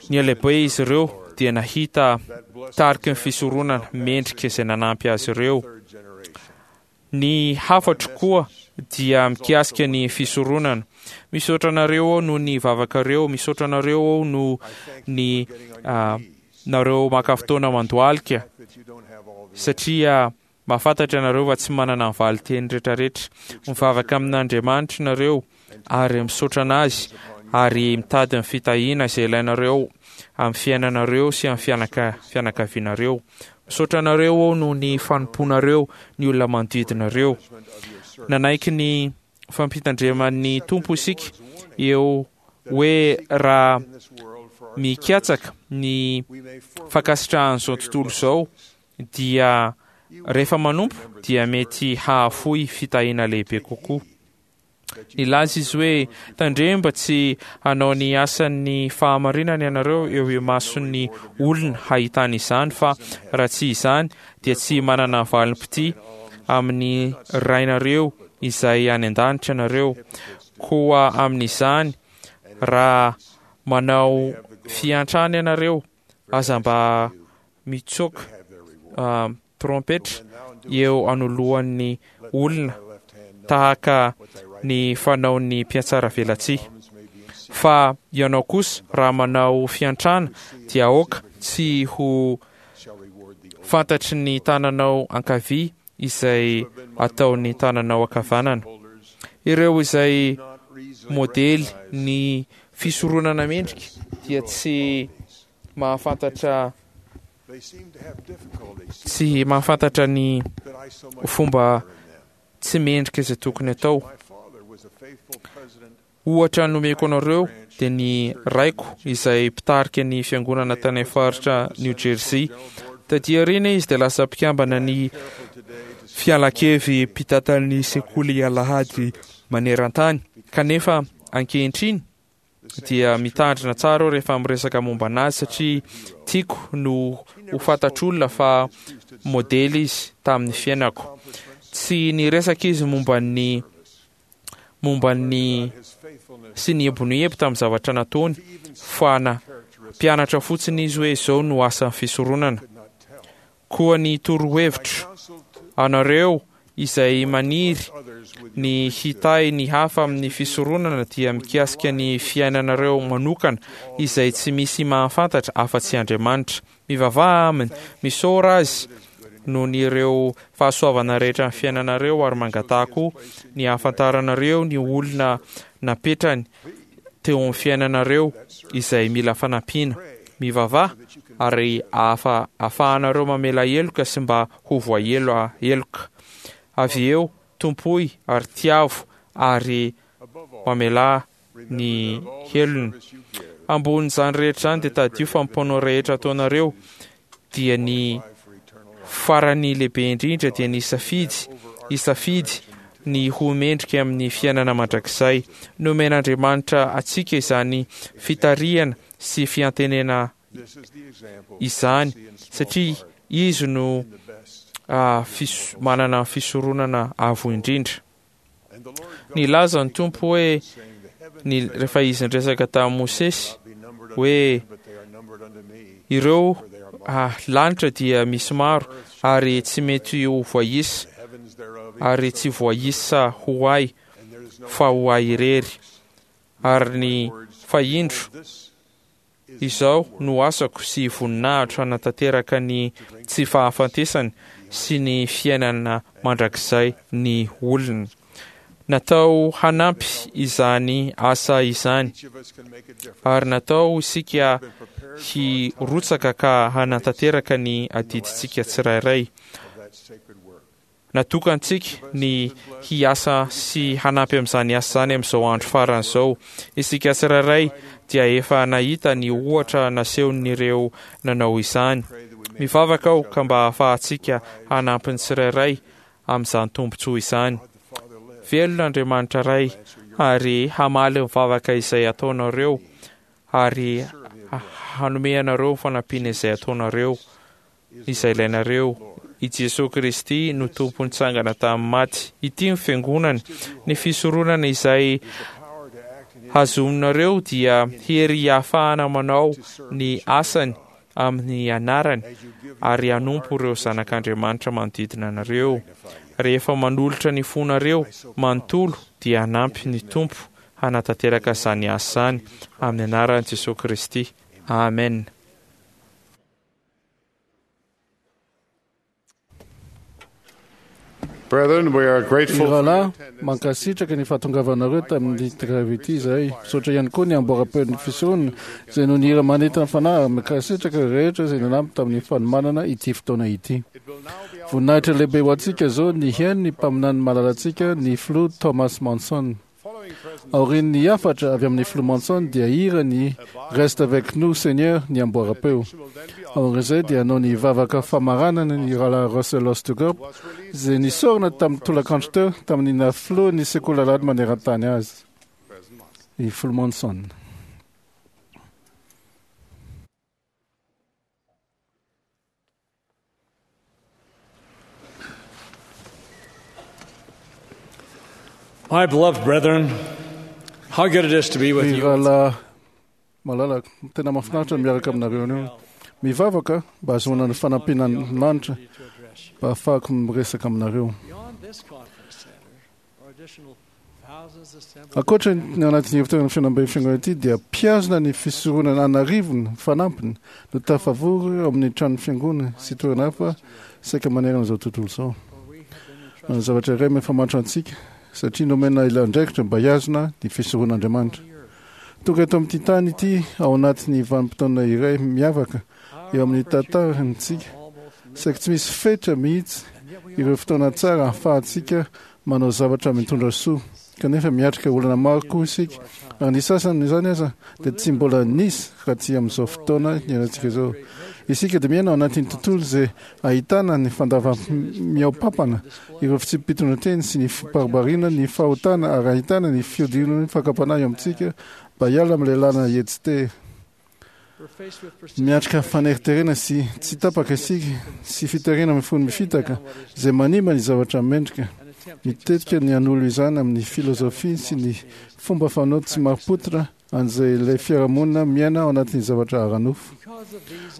nihalehibe izy ireo dia nahita tariky ny fisoronana mendrika izay nanampy azy ireo. Ny hafatro koa dia mikasika ny fisoronana. Misaotra anareo aho noho ny vavakareo, misaotra anareo aho noho ny nareo maka fotoana mandohalika, satria mahafantatra ianareo fa tsy manana ny valin-teny rehetrarehetra. Mivavaka amin'Andriamanitra ianareo ary misaotra anazy ary mitady ny fitahiana izay ilainareo amin'ny fiainanareo sy amin'ny fianaka fianakavianareo. Misaotra anareo aho noho ny fanompoanareo ny olona manodidinareo. Nanaiky ny fampitandreman'ny Tompo isika eo hoe raha mikatsaka ny fankasitrahan'izao tontolo izao dia rehefa manompo dia mety hahafoy fitahiana lehibe kokoa. Nilaza izy hoe tandremo mba tsy hanao ny asan'ny fahamarinana ianareo eo imason'ny olona hahitana izany, fa raha tsy izany dia tsy manana valim-pitia amin'ny Rainareo izay any an-danitra ianareo. Koa amin'izany, raha manao fiantrana ianareo, aza mba mitsoka trompetra eo anoloan'ny olona tahaka ny fanaon'ny mpihatsaravelatsihy. Fa ianao kosa, raha manao fiantrana, dia aoka tsy ho fantatry ny tananao ankavia izay ataon'ny tananao ankavanana. Ireo izay modely ny fisoronana mendrika dia tsy mahafantatra tsy mahafantatra ny fomba tsy mendrika izay tokony atao. Ohatra nomeko anareo dia ny raiko izay mpitarika ny fiangonana tany amin'ny faritra New Jersey. Taty aoriana izy dia lasa mpikambana ny fialan-kevi-pitantan'ny sekoly alahady maneran-tany. Kanefa ankehitriny dia mitandrina tsara aho rehefa miresaka momba anazy, satria tiako no ho fantatr'olona fa modely izy tamin'ny fiainako. Tsy niresaka izy momba ny momba ny sy ny ebonoebo tamin'ny zavatra nataony, fa na mpianatra fotsiny izy hoe izao no asan'ny fisoronana. Koa ny torohevitro anareo izay maniry ny hitahy ny hafa amin'ny fisoronana dia mikasika ny fiainanareo manokana izay tsy misy mahafantatra afa-tsy Andriamanitra. Mivavaha aminy, misaora azy noho ny ireo fahasoavana rehetra ny fiainanareo, ary mangataha koa ny hahafantaranareo ny olona napetrany teo amin'ny fiainanareo izay mila fanampiana. Mivavaha ary ahafa ahafahanareo mamela heloka sy mba ho voaheloka heloka. Avy eo tompoy ary tiavo ary mamelà ny helony. Ambonin'izany rehetra izany dia tadidio fa ny mpanao rehetra ataonareo dia ny farany lehibe indrindra dia ny safidy hisafidy ny ho mendrika amin'ny fiainana mandrakizay. Nomen'Andriamanitra antsika izany fitarihana sy fiantenena izany satria izy no fis- manana fisoronana avo indrindra. Nilaza ny Tompo hoe ny rehefa izy niresaka tamin'i Mosesy hoe ireo ah, lanitra dia misy maro ary tsy mety ho voaisa ary tsy voaisa ho ahy fa ho ahy irery, ary ny fahindro izao no asako sy voninahitro hanatanteraka ny tsy fahafatesany sy ny fiainana mandrakizay ny olona. Natao hanampy izany asa izany, ary natao isika hirotsaka ka hanatanteraka ny adidintsika tsirairay. Natokantsika ny hiasa sy hanampy amin'izany asa izany amin'izao andro farany izao. Isika tsirairay dia efa nahita ny ohatra nasehon'ireo nanao izany. Mivavaka aho ka mba hahafahantsika hanampy ny tsirairay amin'izany tombontsoa izany. Velona Andriamanitra Ray ary hamaly ny vavaka izay ataonareo ary hanome anareo ny fanampiana izay ataonareo, izay ilainareo. I Jesoa Kristy no Tompo nitsangana tamin'ny maty. Ity ny fiangonany. Ny fisoronana izay hazominareo dia hery hahafahana manao ny asany amin'ny anarany ary hanompo ireo zanak'Andriamanitra manodidina anareo. Rehefa manolotra ny fonareo manontolo dia hanampy ny Tompo hanatanteraka izany asa izany amin'ny anaran'i Jesoa Kristy. Amen. Brethren, we are grateful for your Rahalahy, mankasitraka ny fahatongavanareo tamin'ny grevy ity izahay. Misaotra ihany koa ny amboara-peon'ny fisoronana izay no nihira manentana fanahy, ary mankasitraka ireo rehetra izay nanampy tamin'ny fanomanana ity fotoana ity. Voninahitra lehibe ho antsika izao ny hihaino ny mpaminany malalantsika, ny filoha Thomas Monson. Aorian'ny hafatra avy amin'ny filoha Monson dia hira ny Reste avec nous Seigneur ny amboaram-peo. Aorian'izay dia hanao ny vavaka famaranana ny rahalahy Russell Ostergorp izay nisorona tamin'ny tolakandro teo tamin'ny nafilohan'ny sekoly alahady maneran-tany azy. Ny filoha Monson. My beloved brethren, how good it is to be with Ry you. rahalahy malala, tena mahafinaritra ny miaraka aminareo anio. Mivavaka mba hahazoana ny fanampiana ny lanitra mba ahafahako miresaka aminareo. Beyond this conference center are additional thousands assembled. Ankoatra ny anatin'ny hevitoerana fihaonamben'ny fiangonana ity dia mpiazona ny fisoronana an'arivony fanampiny no tafavory ao amin'ny tranon'ny fiangonana sy toerana hafa saika manerana izao tontolo izao. Ny zavatra iray mifamatotra antsika satria nomena ilay andraikitra mba hihazona ny fisoronan'Andriamanitra. Tonga eto amin'ity tany ity ao anatin'ny vanim-potoana iray miavaka eo amin'ny tantarantsika saika tsy misy fetra mihitsy ireo fotoana tsara ahafahantsika manao zavatra mitondra soa kanefa miatrika olana maro koa isika ary ny sasany izany aza dia tsy mbola nisy raha tsy amin'izao fotoana niainantsika izao. Isika dia miaina ao anatin'ny tontolo izay ahitana ny fandava-mihaom-pampana ireo fitsipi-pitondran-teny sy ny fibaribariana ny fahotana ary ahitana ny fiodinan'ny fakam-panahy eo amintsika mba hiala amin'ilay lalana etsy. We're faced with Miatrika faneriterena sy tsy tapaka isika sy fiterena mifono mifitaka izay manimba ny zavatra mendrika. Mitetika ny hanolo izany amin'ny filozofia sy ny fomba fanao tsy marim-pototra an'izay ilay fiarahamonina miaina ao anatin'ny zavatra ara-nofo.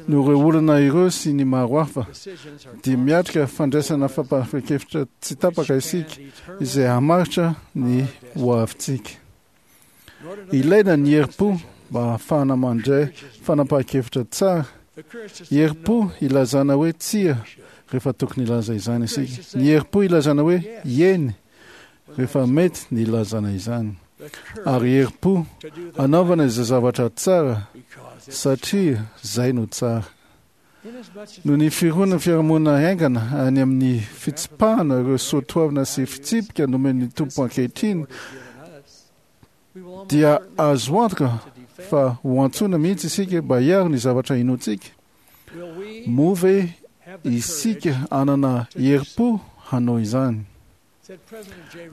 Noho ireo olana ireo sy ny maro hafa dia miatrika fandraisana fanapahan-kevitra tsy tapaka isika izay hamaritra ny hoavintsika. Ilaina ny herim-po mba ahafahana mandray fanapahan-kevitra tsara. Herim-po ilazana hoe tsia rehefa tokony hilaza izany isika. Ny herim-po ilazana hoe eny rehefa mety ny ilazana izany. Ary herim-po anaovana izay zavatra tsara satria izay no tsara. Noho ny fironan'ny fiarahamonina haingana any amin'ny fitsipahana ireo soatoavina sy fitsipika nomen'ny Tompo ankehitriny dia azo antoka fa ho antsoina mihitsy isika mba hiaro ny zavatra inoantsika. Moa ve isika hanana herim-po hanao izany?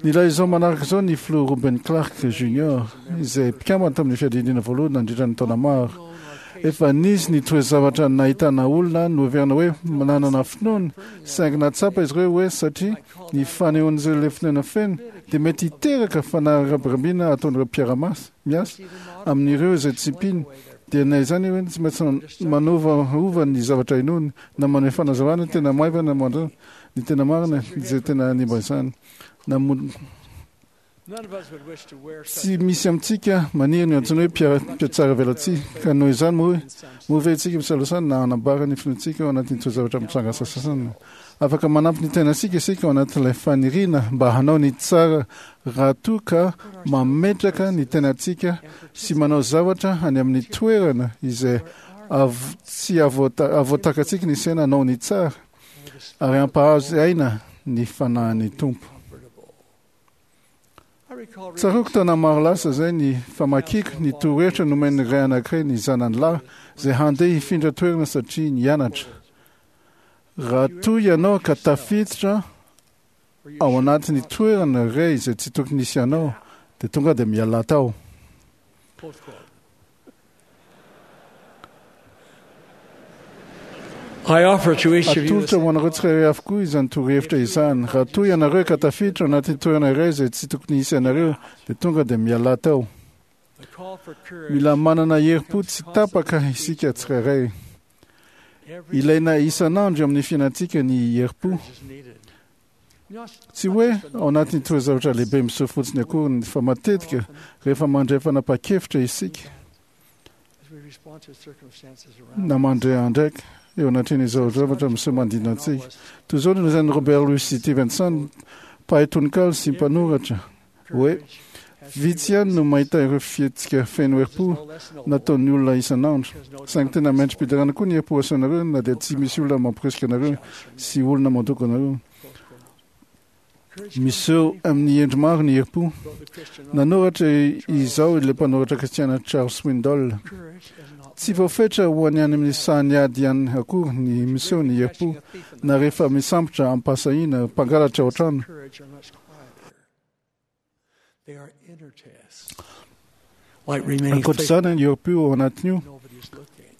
Nilaza izao manaraka izao ny filoha Ruben Clark Junior izay mpikambana tamin'ny fiadidiana voalohany nandritra ny taona maro. Efa nisy ny toe-zavatra nahitana olona noheverina hoe manana finoana saingy nahatsapa izy ireo hoe satria ny fanehoan'izay ilay finoana feno dia mety hiteraka fanarabirabina ataon'ireo mpiara-miasa miasa amin'ireo izay tsy mpino dia na izany hoe tsy maintsy manovaova ny zavatra inoany na manome fanazavana tena maivana mandra ny tena marina izay tena hanimba izany. Na mo- None of us would wish to wear such tsy misy amintsika maniry ny antsoina hoe mpiara- mpiatsara velatsihy ka noho izany moa hoe moa ve isika misalosana na hanambara ny finoantsika ao anatin'ny toe-javatra mitranga sasasany. Afaka manampy ny tenantsika isika ao anatin'ilay faniriana mba hanao ny tsara raha toa ka mametraka ny tenantsika sy manao zavatra any amin'ny toerana izay av- tsy avoata- avoatakantsika ny saina hanao ny tsara ary hampahazo aina ny fanahin'ny Tompo. I recall Tsaroako taona maro lasa izay ny famakiako ny torohevitra nomen'ny ray anankiray ny zanany lahy izay handeha hifindra toerana satria nianatra. Raha toa ianao ka tafiditra ao anatin'ny toerana iray izay tsy tokony hisy anao dia tonga dia miala tao. Close quote. I offer to each of you Atolotra ho anareo tsirairay avokoa izany torohevitra izany. Raha toa ianareo ka tafiditra ao anatin'ny toerana iray izay tsy tokony hisy anareo dia tonga dia miala tao. the call for courage. Mila manana herim-po tsy tapaka isika tsirairay. Ilaina isan'andro eo amin'ny fiainantsika ny herim-po. is needed. Not Tsy hoe ao anatin'ny toe-zavatra lehibe miseho fotsiny akory fa matetika rehefa mandray fanapahan-kevitra isika as we respond to circumstances around na mandray andraika eo anatrehan'izao zavatra miseho manodidina antsika. Toy izao no nolazain'i Robert Louis Stevenson, mpahay tononkalo sy mpanoratra hoe vitsy ihany no mahita ireo fihetsika feno herim-po nataon'ny olona isan'andro. Saingy tena mendri-piderana koa ny herim-po asehonareo na dia tsy misy olona mampirisika anareo sy olona mandoko anareo. Miseho amin'ny endry maro ny herim-po. Nanoratra izao ilay mpanoratra kristiana Charles Swindoll: "Tsy voafetra ho any any amin'ny sahan'ny ady ihany akory ny miseho ny herim-po, na rehefa misambotra am-pahasahiana mpangalatra ao an-trano. Ankoatra izany, ny herim-po ao anatin'io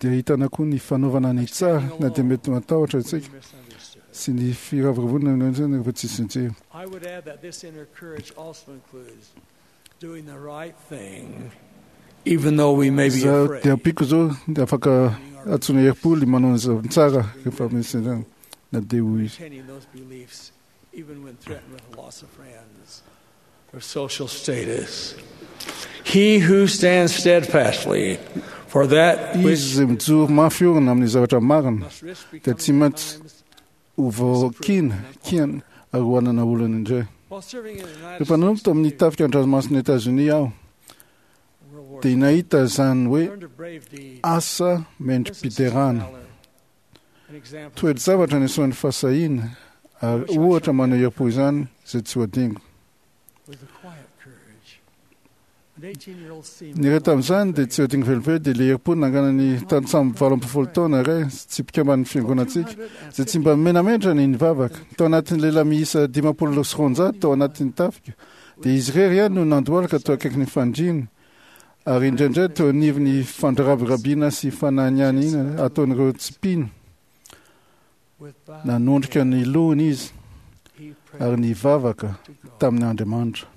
dia ahitana koa ny fanaovana ny tsara na dia mety matahotra isika, sy ny firavoravoana rehefa tsisy mijery. I would add that this inner courage also includes doing the right thing, even though we may be Za afraid. dia ampiako izao dia afaka antsoina herim-po ny manao ny zavatra tsara rehefa misy izany, na dia ho izy. Retaining those beliefs, even when threatened with loss of friends or social status. He who stands steadfastly for that which Izy izay mijoro mafy orina amin'ny zavatra marina dia tsy maintsy ho voakiana kiana ary ho hanana olana indray. While serving in the United Rehefa nanompo tao amin'ny tafika an-dranomasina Etazonia aho, dia nahita izany hoe asa mendri-piderana. Toe-javatra nisehoan'ny fahasahiana ary ohatra maneho herim-po izany izay tsy ho adingo. was the quiet courage. An eighteen-year-old seaman Ny iray tamin'izany dia tsy ho adingo velively dia ilay herim-po nanganan'ny tantsambo valo ambin'ny folo taona iray tsy mpikamban'ny fiangonantsika izay tsy mba menamentra ny nivavaka. Tao anatin'ny lehilahy miisa dimampolo sy roanjato tao anatin'ny tafika dia izy irery ihany no nandohalika teo akaikin'ny fandriana, ary indraindray teo anivon'ny fandrabirabiana sy fananianiana ataon'ireo tsy mpino. Nanondrika ny lohany izy ary nivavaka tamin'ny Andriamanitra.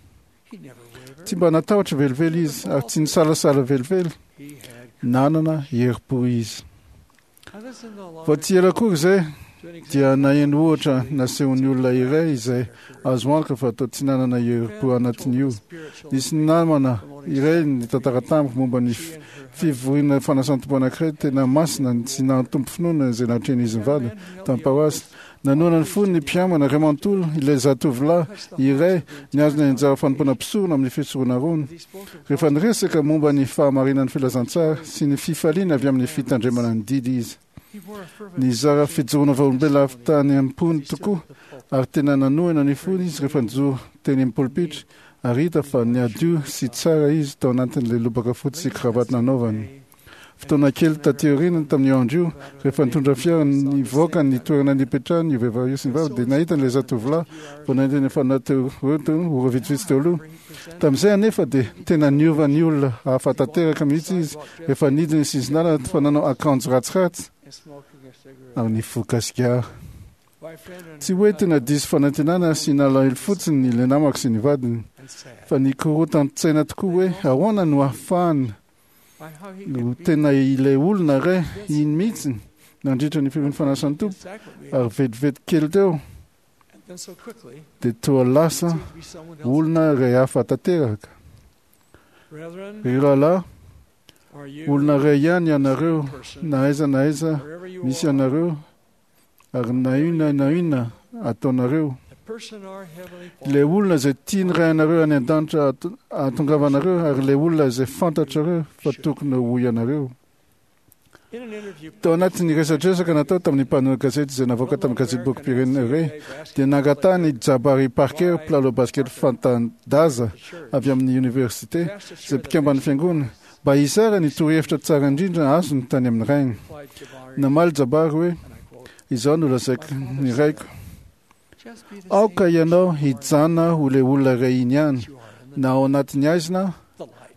Tsy mba natahotra velively izy ary tsy nisalasala velively. Nanana herim-po izy. Vao tsy ela akory izay dia naheno ohatra nasehon'ny olona iray izay azo antoka fa toa tsy nanana herim-po anatin'io. Nisy namana iray nitantara tamiko momba ny f- fivoriana fanasan'ny Tompo anankiray tena masina sy nahatompo finoana izay natrehin'izy mivady tamin'ny paroasy. Nanohana ny fony ny mpiambana iray manontolo ilay zatovolahy iray nihazona ny anjara fanompoana mpisorona amin'ny fisorona rony. Rehefa niresaka momba ny fahamarinan'ny filazantsara sy ny fifaliana avy amin'ny fitandremana ny didy izy. Nizara fijoroana vavolombelona avy tany am-pony tokoa ary tena nanohina ny fony izy rehefa nijoro teny amin'ny polipitra, ary hita fa niadio sy tsara izy tao anatin'ilay lobaka fotsy sy kravaty nanaovany. Fotoana kely taty aoriana tamin'io andro io, rehefa nitondra fiara nivoaka ny toerana nipetrahany io vehivavy io sy ny vavy, dia nahita an'ilay zatovolahy vao nahita ny efa nateo ora vitsivitsy teo aloha. Tamin'izay anefa dia tena niova ny olona hafa tanteraka mihitsy izy rehefa nidina ny sisin-dalana fa nanao akanjo ratsiratsy and smoking a cigarette. ary nifoka sigara. My friend and Tsy hoe tena diso fanantenana sy nalahelo fotsiny ilay namako sy ny vadiny, fa nikorotan-tsaina tokoa hoe ahoana no ahafahana by how he no tena ilay olona iray iny mihitsy nandritra ny fivorian'ny fanasan'ny Tompo, ary vetivety kely teo and then so quickly dia toa lasa olona iray hafa tanteraka. Brethren, Ry rahalahy, are you olona iray ihany ianareo, na aiza na aiza misy anareo, ary na inona na inona ataonareo. the person our heavenly Ilay olona izay tiany ray anareo any an-danitra ato- ahatongavanareo, ary ilay olona izay fantatrareo fa tokony ho ianareo. In an interview Tao anatin'ny resadresaka natao tamin'ny mpanao gazety izay navoaka tamin'ny gazety-bokim-pirenena iray, dia nangatahany Jabari Parker, mpilalao basket fanta-daza avy amin'ny université, izay mpikamban'ny fiangonana, mba hizara ny torohevitra tsara indrindra azony tany amin'ny rainy. Namaly Jabari hoe: "Izao no lazaiko ny raiko. Aoka ianao hijanona ho ilay olona iray iny ihany, na ao anatin'ny haizina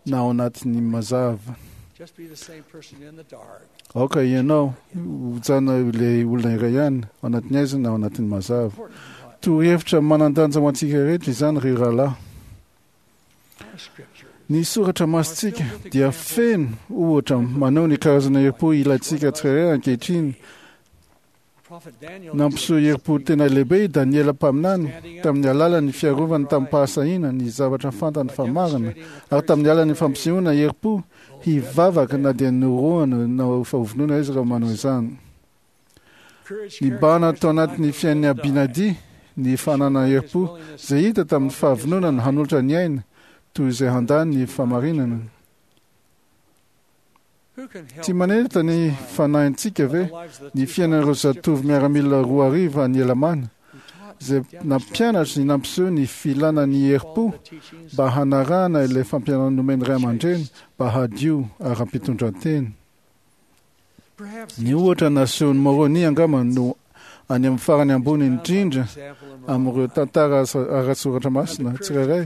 na ao anatin'ny mazava. just be the same person in the dark Aoka ianao hijanona ho ilay olona iray ihany, ao anatin'ny haizina na ao anatin'ny mazava." Torohevitra manan-danja ho antsika rehetra izany, ry rahalahy. Our scripture Ny soratra masintsika dia feno ohatra maneho ny karazana herim-po ilaintsika tsirairay ankehitriny. Prophet Daniel Nampiseho herim-po tena lehibe i Daniela mpaminany tamin'ny alalan'ny fiarovany tamin'ny-pahasahiana ny zavatra fantany fa marina, ary tamin'ny alalan'ny fampisehoana herim-po hivavaka na dia norohana na fa hovonoina izy raha manao izany. courage Nibahana tao anatin'ny fiainan'i Abinadi ny fananana herim-po izay hita tamin'ny fahavononana hanolotra ny aina toy izay handany ny fahamarinana. who can help Tsy manenitra ny fanahintsika ve ny fiainan'ireo zatovo miaramila roa arivo any Elamana izay nampianatra ny nampiseho ny filana ny herim-po mba hanarahana ilay fampianarana nomen'ny ray aman-dreny mba hadio ara-pitondran-tena. Ny ohatra nasehon'i Moroni angamba no any amin'ny farany ambony indrindra amin'ireo tantara ara-tsoratra masina tsirairay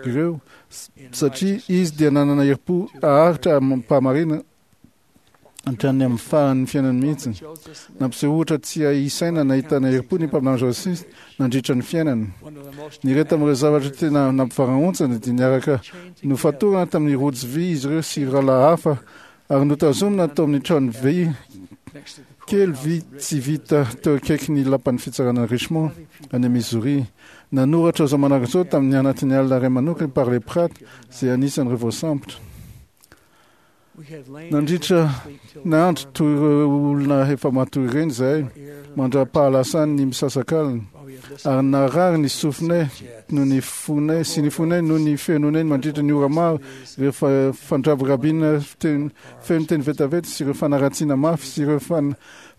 ireo, satria izy dia nanana herim-po haharitra amim-pahamarina hatrany amin'ny faran'ny fiainany mihitsy. Nampiseho ohatra tsy hay isaina nahitana herim-po ny mpaminany Joseph nandritra ny fiainany. Ny iray tamin'ireo zavatra tena nampivarahontsana dia niaraka nofatorana tamin'ny rojo vy izy ireo sy rahalahy hafa ary notazomina tao amin'ny trano vy kely vy tsy vita teo akaikin'ny lapan'ny fitsarana Richmond any Missouri. Nanoratra izao manaraka izao tamin'ny anatin'ny alina iray manokana i Parley Pratt izay anisan'ireo voasambotra. Nandritra ny andro toy ireo olona efa matory ireny izahay mandra-pahalasany ny misasakalina, ary narary ny sofinay noho ny fonay sy ny fonay noho ny fenonay mandritra ny ora maro ireo fandrabirabiana feno teny vetaveta sy ireo fanaratsiana mafy sy ireo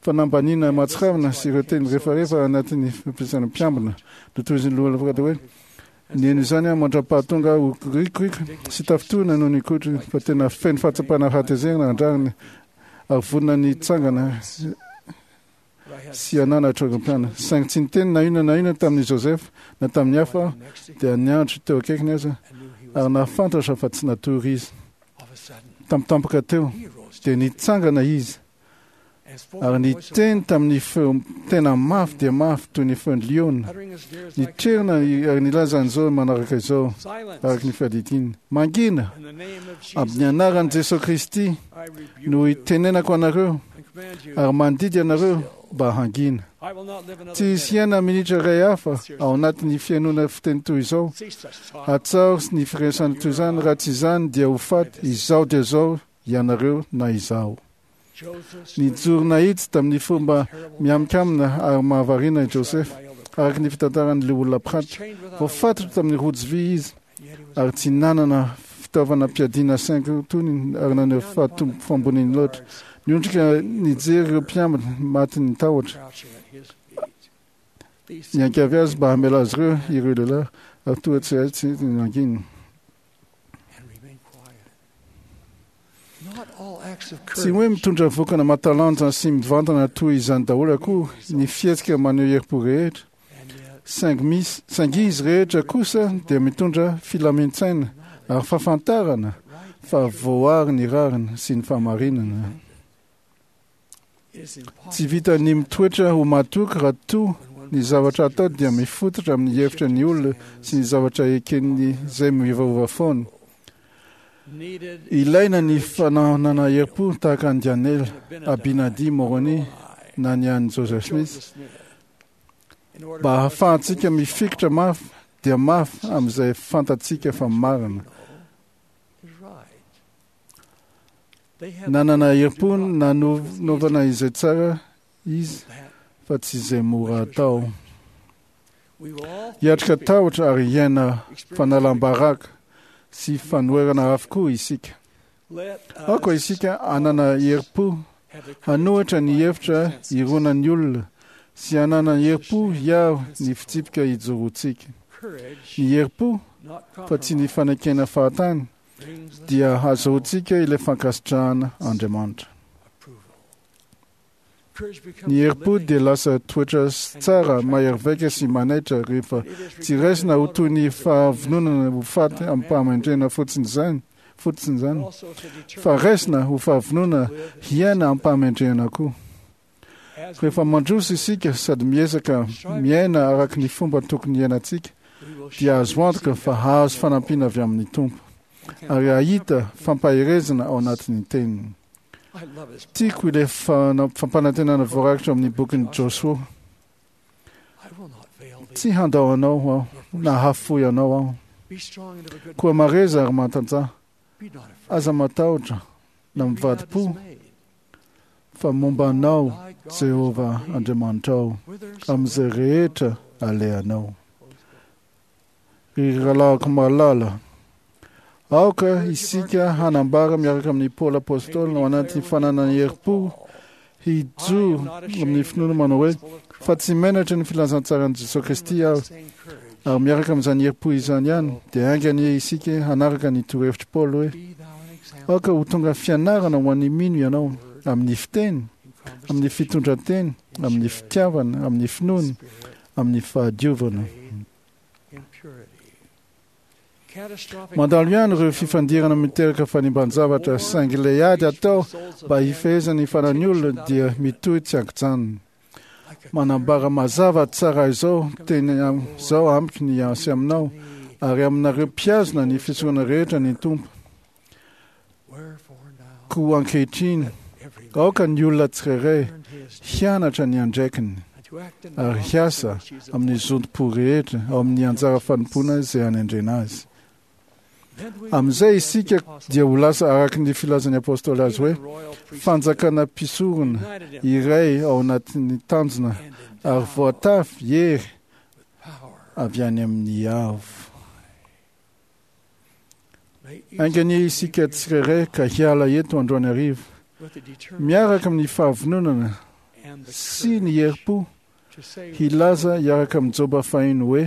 fanambaniana mahatsiravina sy ireo teny refarefa anatin'ny fampiasana mpiambina. Notohizin'ny lohalafokatra hoe Nihaino izany aho mandra-pahatonga ho rikoriko sy tafintohina noho ny kotro, fa tena feno fahatsapana fahatezerana an-drariny ary vonona ny hitsangana sy hananatra ireo mpianany. Saingy tsy niteny na inona na inona tamin'i Joseph na tamin'ny hafa aho, dia niandry teo akaikiny aza, ary nahafantatra fa tsy natory izy. Tampotampoka teo, dia nitsangana izy ary niteny tamin'ny feo tena mafy dia mafy toy ny feon'ny liona. Nitrerona ary nilaza an'izao manaraka izao, araka ny fiadidiany: Mangina! Amin'ny anaran'i Jesoa Kristy no itenenako anareo ary mandidy anareo mba hangina. Tsy hisy hiaina minitra iray hafa ao anatin'ny fihainoana fiteny toy izao. Hatsaro ny firesahana toy izany, raha tsy izany dia ho faty izao dia izao ianareo na izaho. Nijoro nahitsy tamin'ny fomba mihaminkamina ary mahavariana i Joseph, araka ny fitantaran'ny Loholona Pratt. Voafatotra tamin'ny rojo vy izy ary tsy nanana fitaovana mpiadiana saingy tony ary naneho fahamboniany loatra. Niondrika nijery ireo mpiambina matin'ny tahotra. Niangavy azy mba hamela azy ireo ireo lehilahy ary toa tsy hay tsy nangina. Tsy hoe mitondra vokana mahatalanja sy mivantana toy izany daholo akory ny fihetsika maneho herim-po rehetra, saingy misy, saingy izy rehetra kosa dia mitondra filamin-tsaina ary fahafantarana fa voary ny rariny sy ny fahamarinana. Tsy vitan'ny mitoetra ho matoky raha toa ny zavatra atao dia mifototra amin'ny hevitra ny olona sy ny zavatra eken'ny izay miovaova foana. Ilaina ny fananana herim-po tahaka an'i Daniela, Abinadi, Moroni na ny an'i Joseph Smith mba hahafahantsika mifikitra mafy dia mafy amin'izay fantatsika fa marina. Nanana herim-po nanaovana izay tsara izy fa tsy izay mora atao. Hiatrika tahotra ary hiaina fanalam-baraka sy fanoherana avokoa isika. Aoka isika hanana herim-po hanohitra ny hevitra ironan'ny olona sy hanana herim-po hiaro ny fitsipika ijoroantsika. Ny herim-po fa tsy ny fanekena fahatany dia hahazoantsika ilay fankasitrahana Andriamanitra. Ny herim-po dia lasa toetra tsara mahery vaika sy manaitra rehefa tsy raisina ho toy ny fahavononana ho faty amim-pahamendrehana fotsiny izany, fotsiny izany, fa raisina ho fahavononana hiaina amim-pahamendrehana koa. Rehefa mandroso isika sady miezaka miaina araka ny fomba tokony hiainantsika, dia azo antoka fa hahazo fanampiana avy amin'ny Tompo ary hahita fampaherezana ao anatin'ny Teniny. Tiako ilay fampanantenana voarakitra amin'ny bokin'i Josoa: Tsy handao anao aho na hahafoy anao aho. Koa mareza ary matanjaha. Aza matahotra na mivadi-po, fa momba anao Jehovah Andriamanitrao amin'izay rehetra alehanao. Ry rahalahiko malala, aoka isika hanambara miaraka amin'i Paoly Apostoly ao anatin'ny fananana herim-po Hijoro amin'ny finoana manao hoe fa tsy menatra ny filazantsaran'i Jesosy Kristy aho. Ary miaraka amin'izany herim-po izany ihany dia haingana isika hanaraka ny torohevitr'i Paoly hoe aoka ho tonga fianarana ho an'ny mino ianao amin'ny fiteny, amin'ny fitondran-teny, amin'ny fitiavana, amin'ny finoana, amin'ny fahadiovana. Mandalo ihany ireo fifandirana miteraka fanimban-javatra, saingy ilay ady atao mba hifehezana ny fanan'ny olona dia mitohy tsy an-kijanona. Manambara mazava tsara izao teny izao amiko ny sy aminao ary aminareo mpihazona ny fisorona rehetra ny Tompo. Koa ankehitriny, aoka ny olona tsirairay hianatra ny andraikiny ary hiasa amin'ny zotom-po rehetra ao amin'ny anjara fanompoana izay anendrena azy. Amin'izay isika dia ho lasa araka ny filazan'ny apôstôly azy hoe fanjakana mpisorona iray ao anatin'ny tanjona ary voatafy hery avy any amin'ny avo. Haingana isika tsirairay ka hiala eto androany hariva miaraka amin'ny fahavononana sy ny herim-po hilaza hiaraka amin'ny Joba fahiny hoe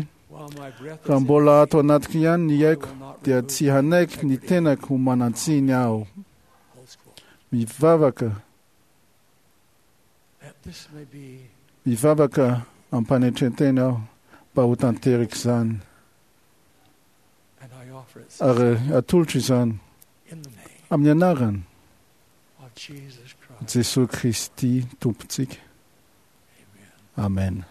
raha mbola ato anatiko ihany ny aiko dia tsy hanaiky ny tenako ho manan-tsiny aho. Mivavaka mivavaka ampanetren-tena aho mba ho tanteraka izany ary atolotro izany amin'ny anarany Jesosy Kristy Tompontsika. Amen.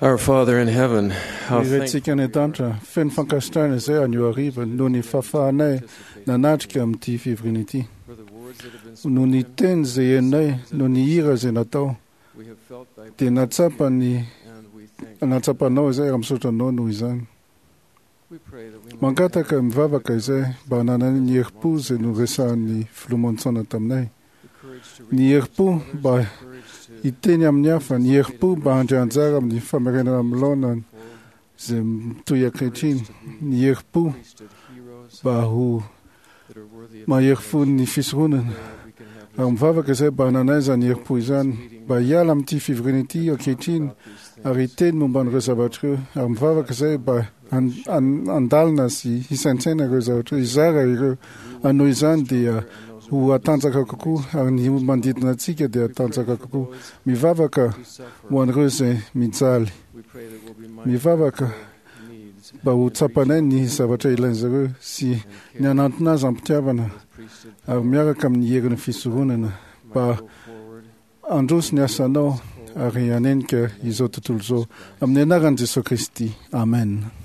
Our Father in heaven, how Ny Raintsika any an-danitra, feno fankasitrahana izay anio hariva noho ny fahafahanay nanatrika amin'ity fivoriana ity. Noho ny teny izay henonay, noho ny hira izay natao, dia nahatsapa ny nahatsapanao izay ary misaotra anao noho izany. Mangataka mivavaka izay mba hananany ny herim-po izay noresahan'ny filoha Monson taminay. Ny herim-po mba hiteny amin'ny hafa, ny herim-po mba handray anjara amin'ny famerenana amin'ny laona izay mitohy ankehitriny, ny herim-po mba ho mahery fon'ny fisoronana. Ary mivavaka izay mba hananay izany herim-po izany, mba hiala amin'ity fivoriana ity ankehitriny ary hiteny momba an'ireo zavatra ireo. Ary mivavaka izay mba handalina sy hisaintsaina ireo zavatra ireo, hizara ireo. Ary noho izany dia ho hatanjaka kokoa, ary ny manodidina antsika dia hatanjaka kokoa. Mivavaka ho an'ireo izay mijaly. Mivavaka mba ho tsapanay ny zavatra ilain'izy ireo sy ny hanantona azy am-pitiavana ary miaraka amin'ny herin'ny fisoronana mba handroso ny asanao ary hanenika izao tontolo izao. Amin'ny anaran'i Jesosy Kristy. Amen.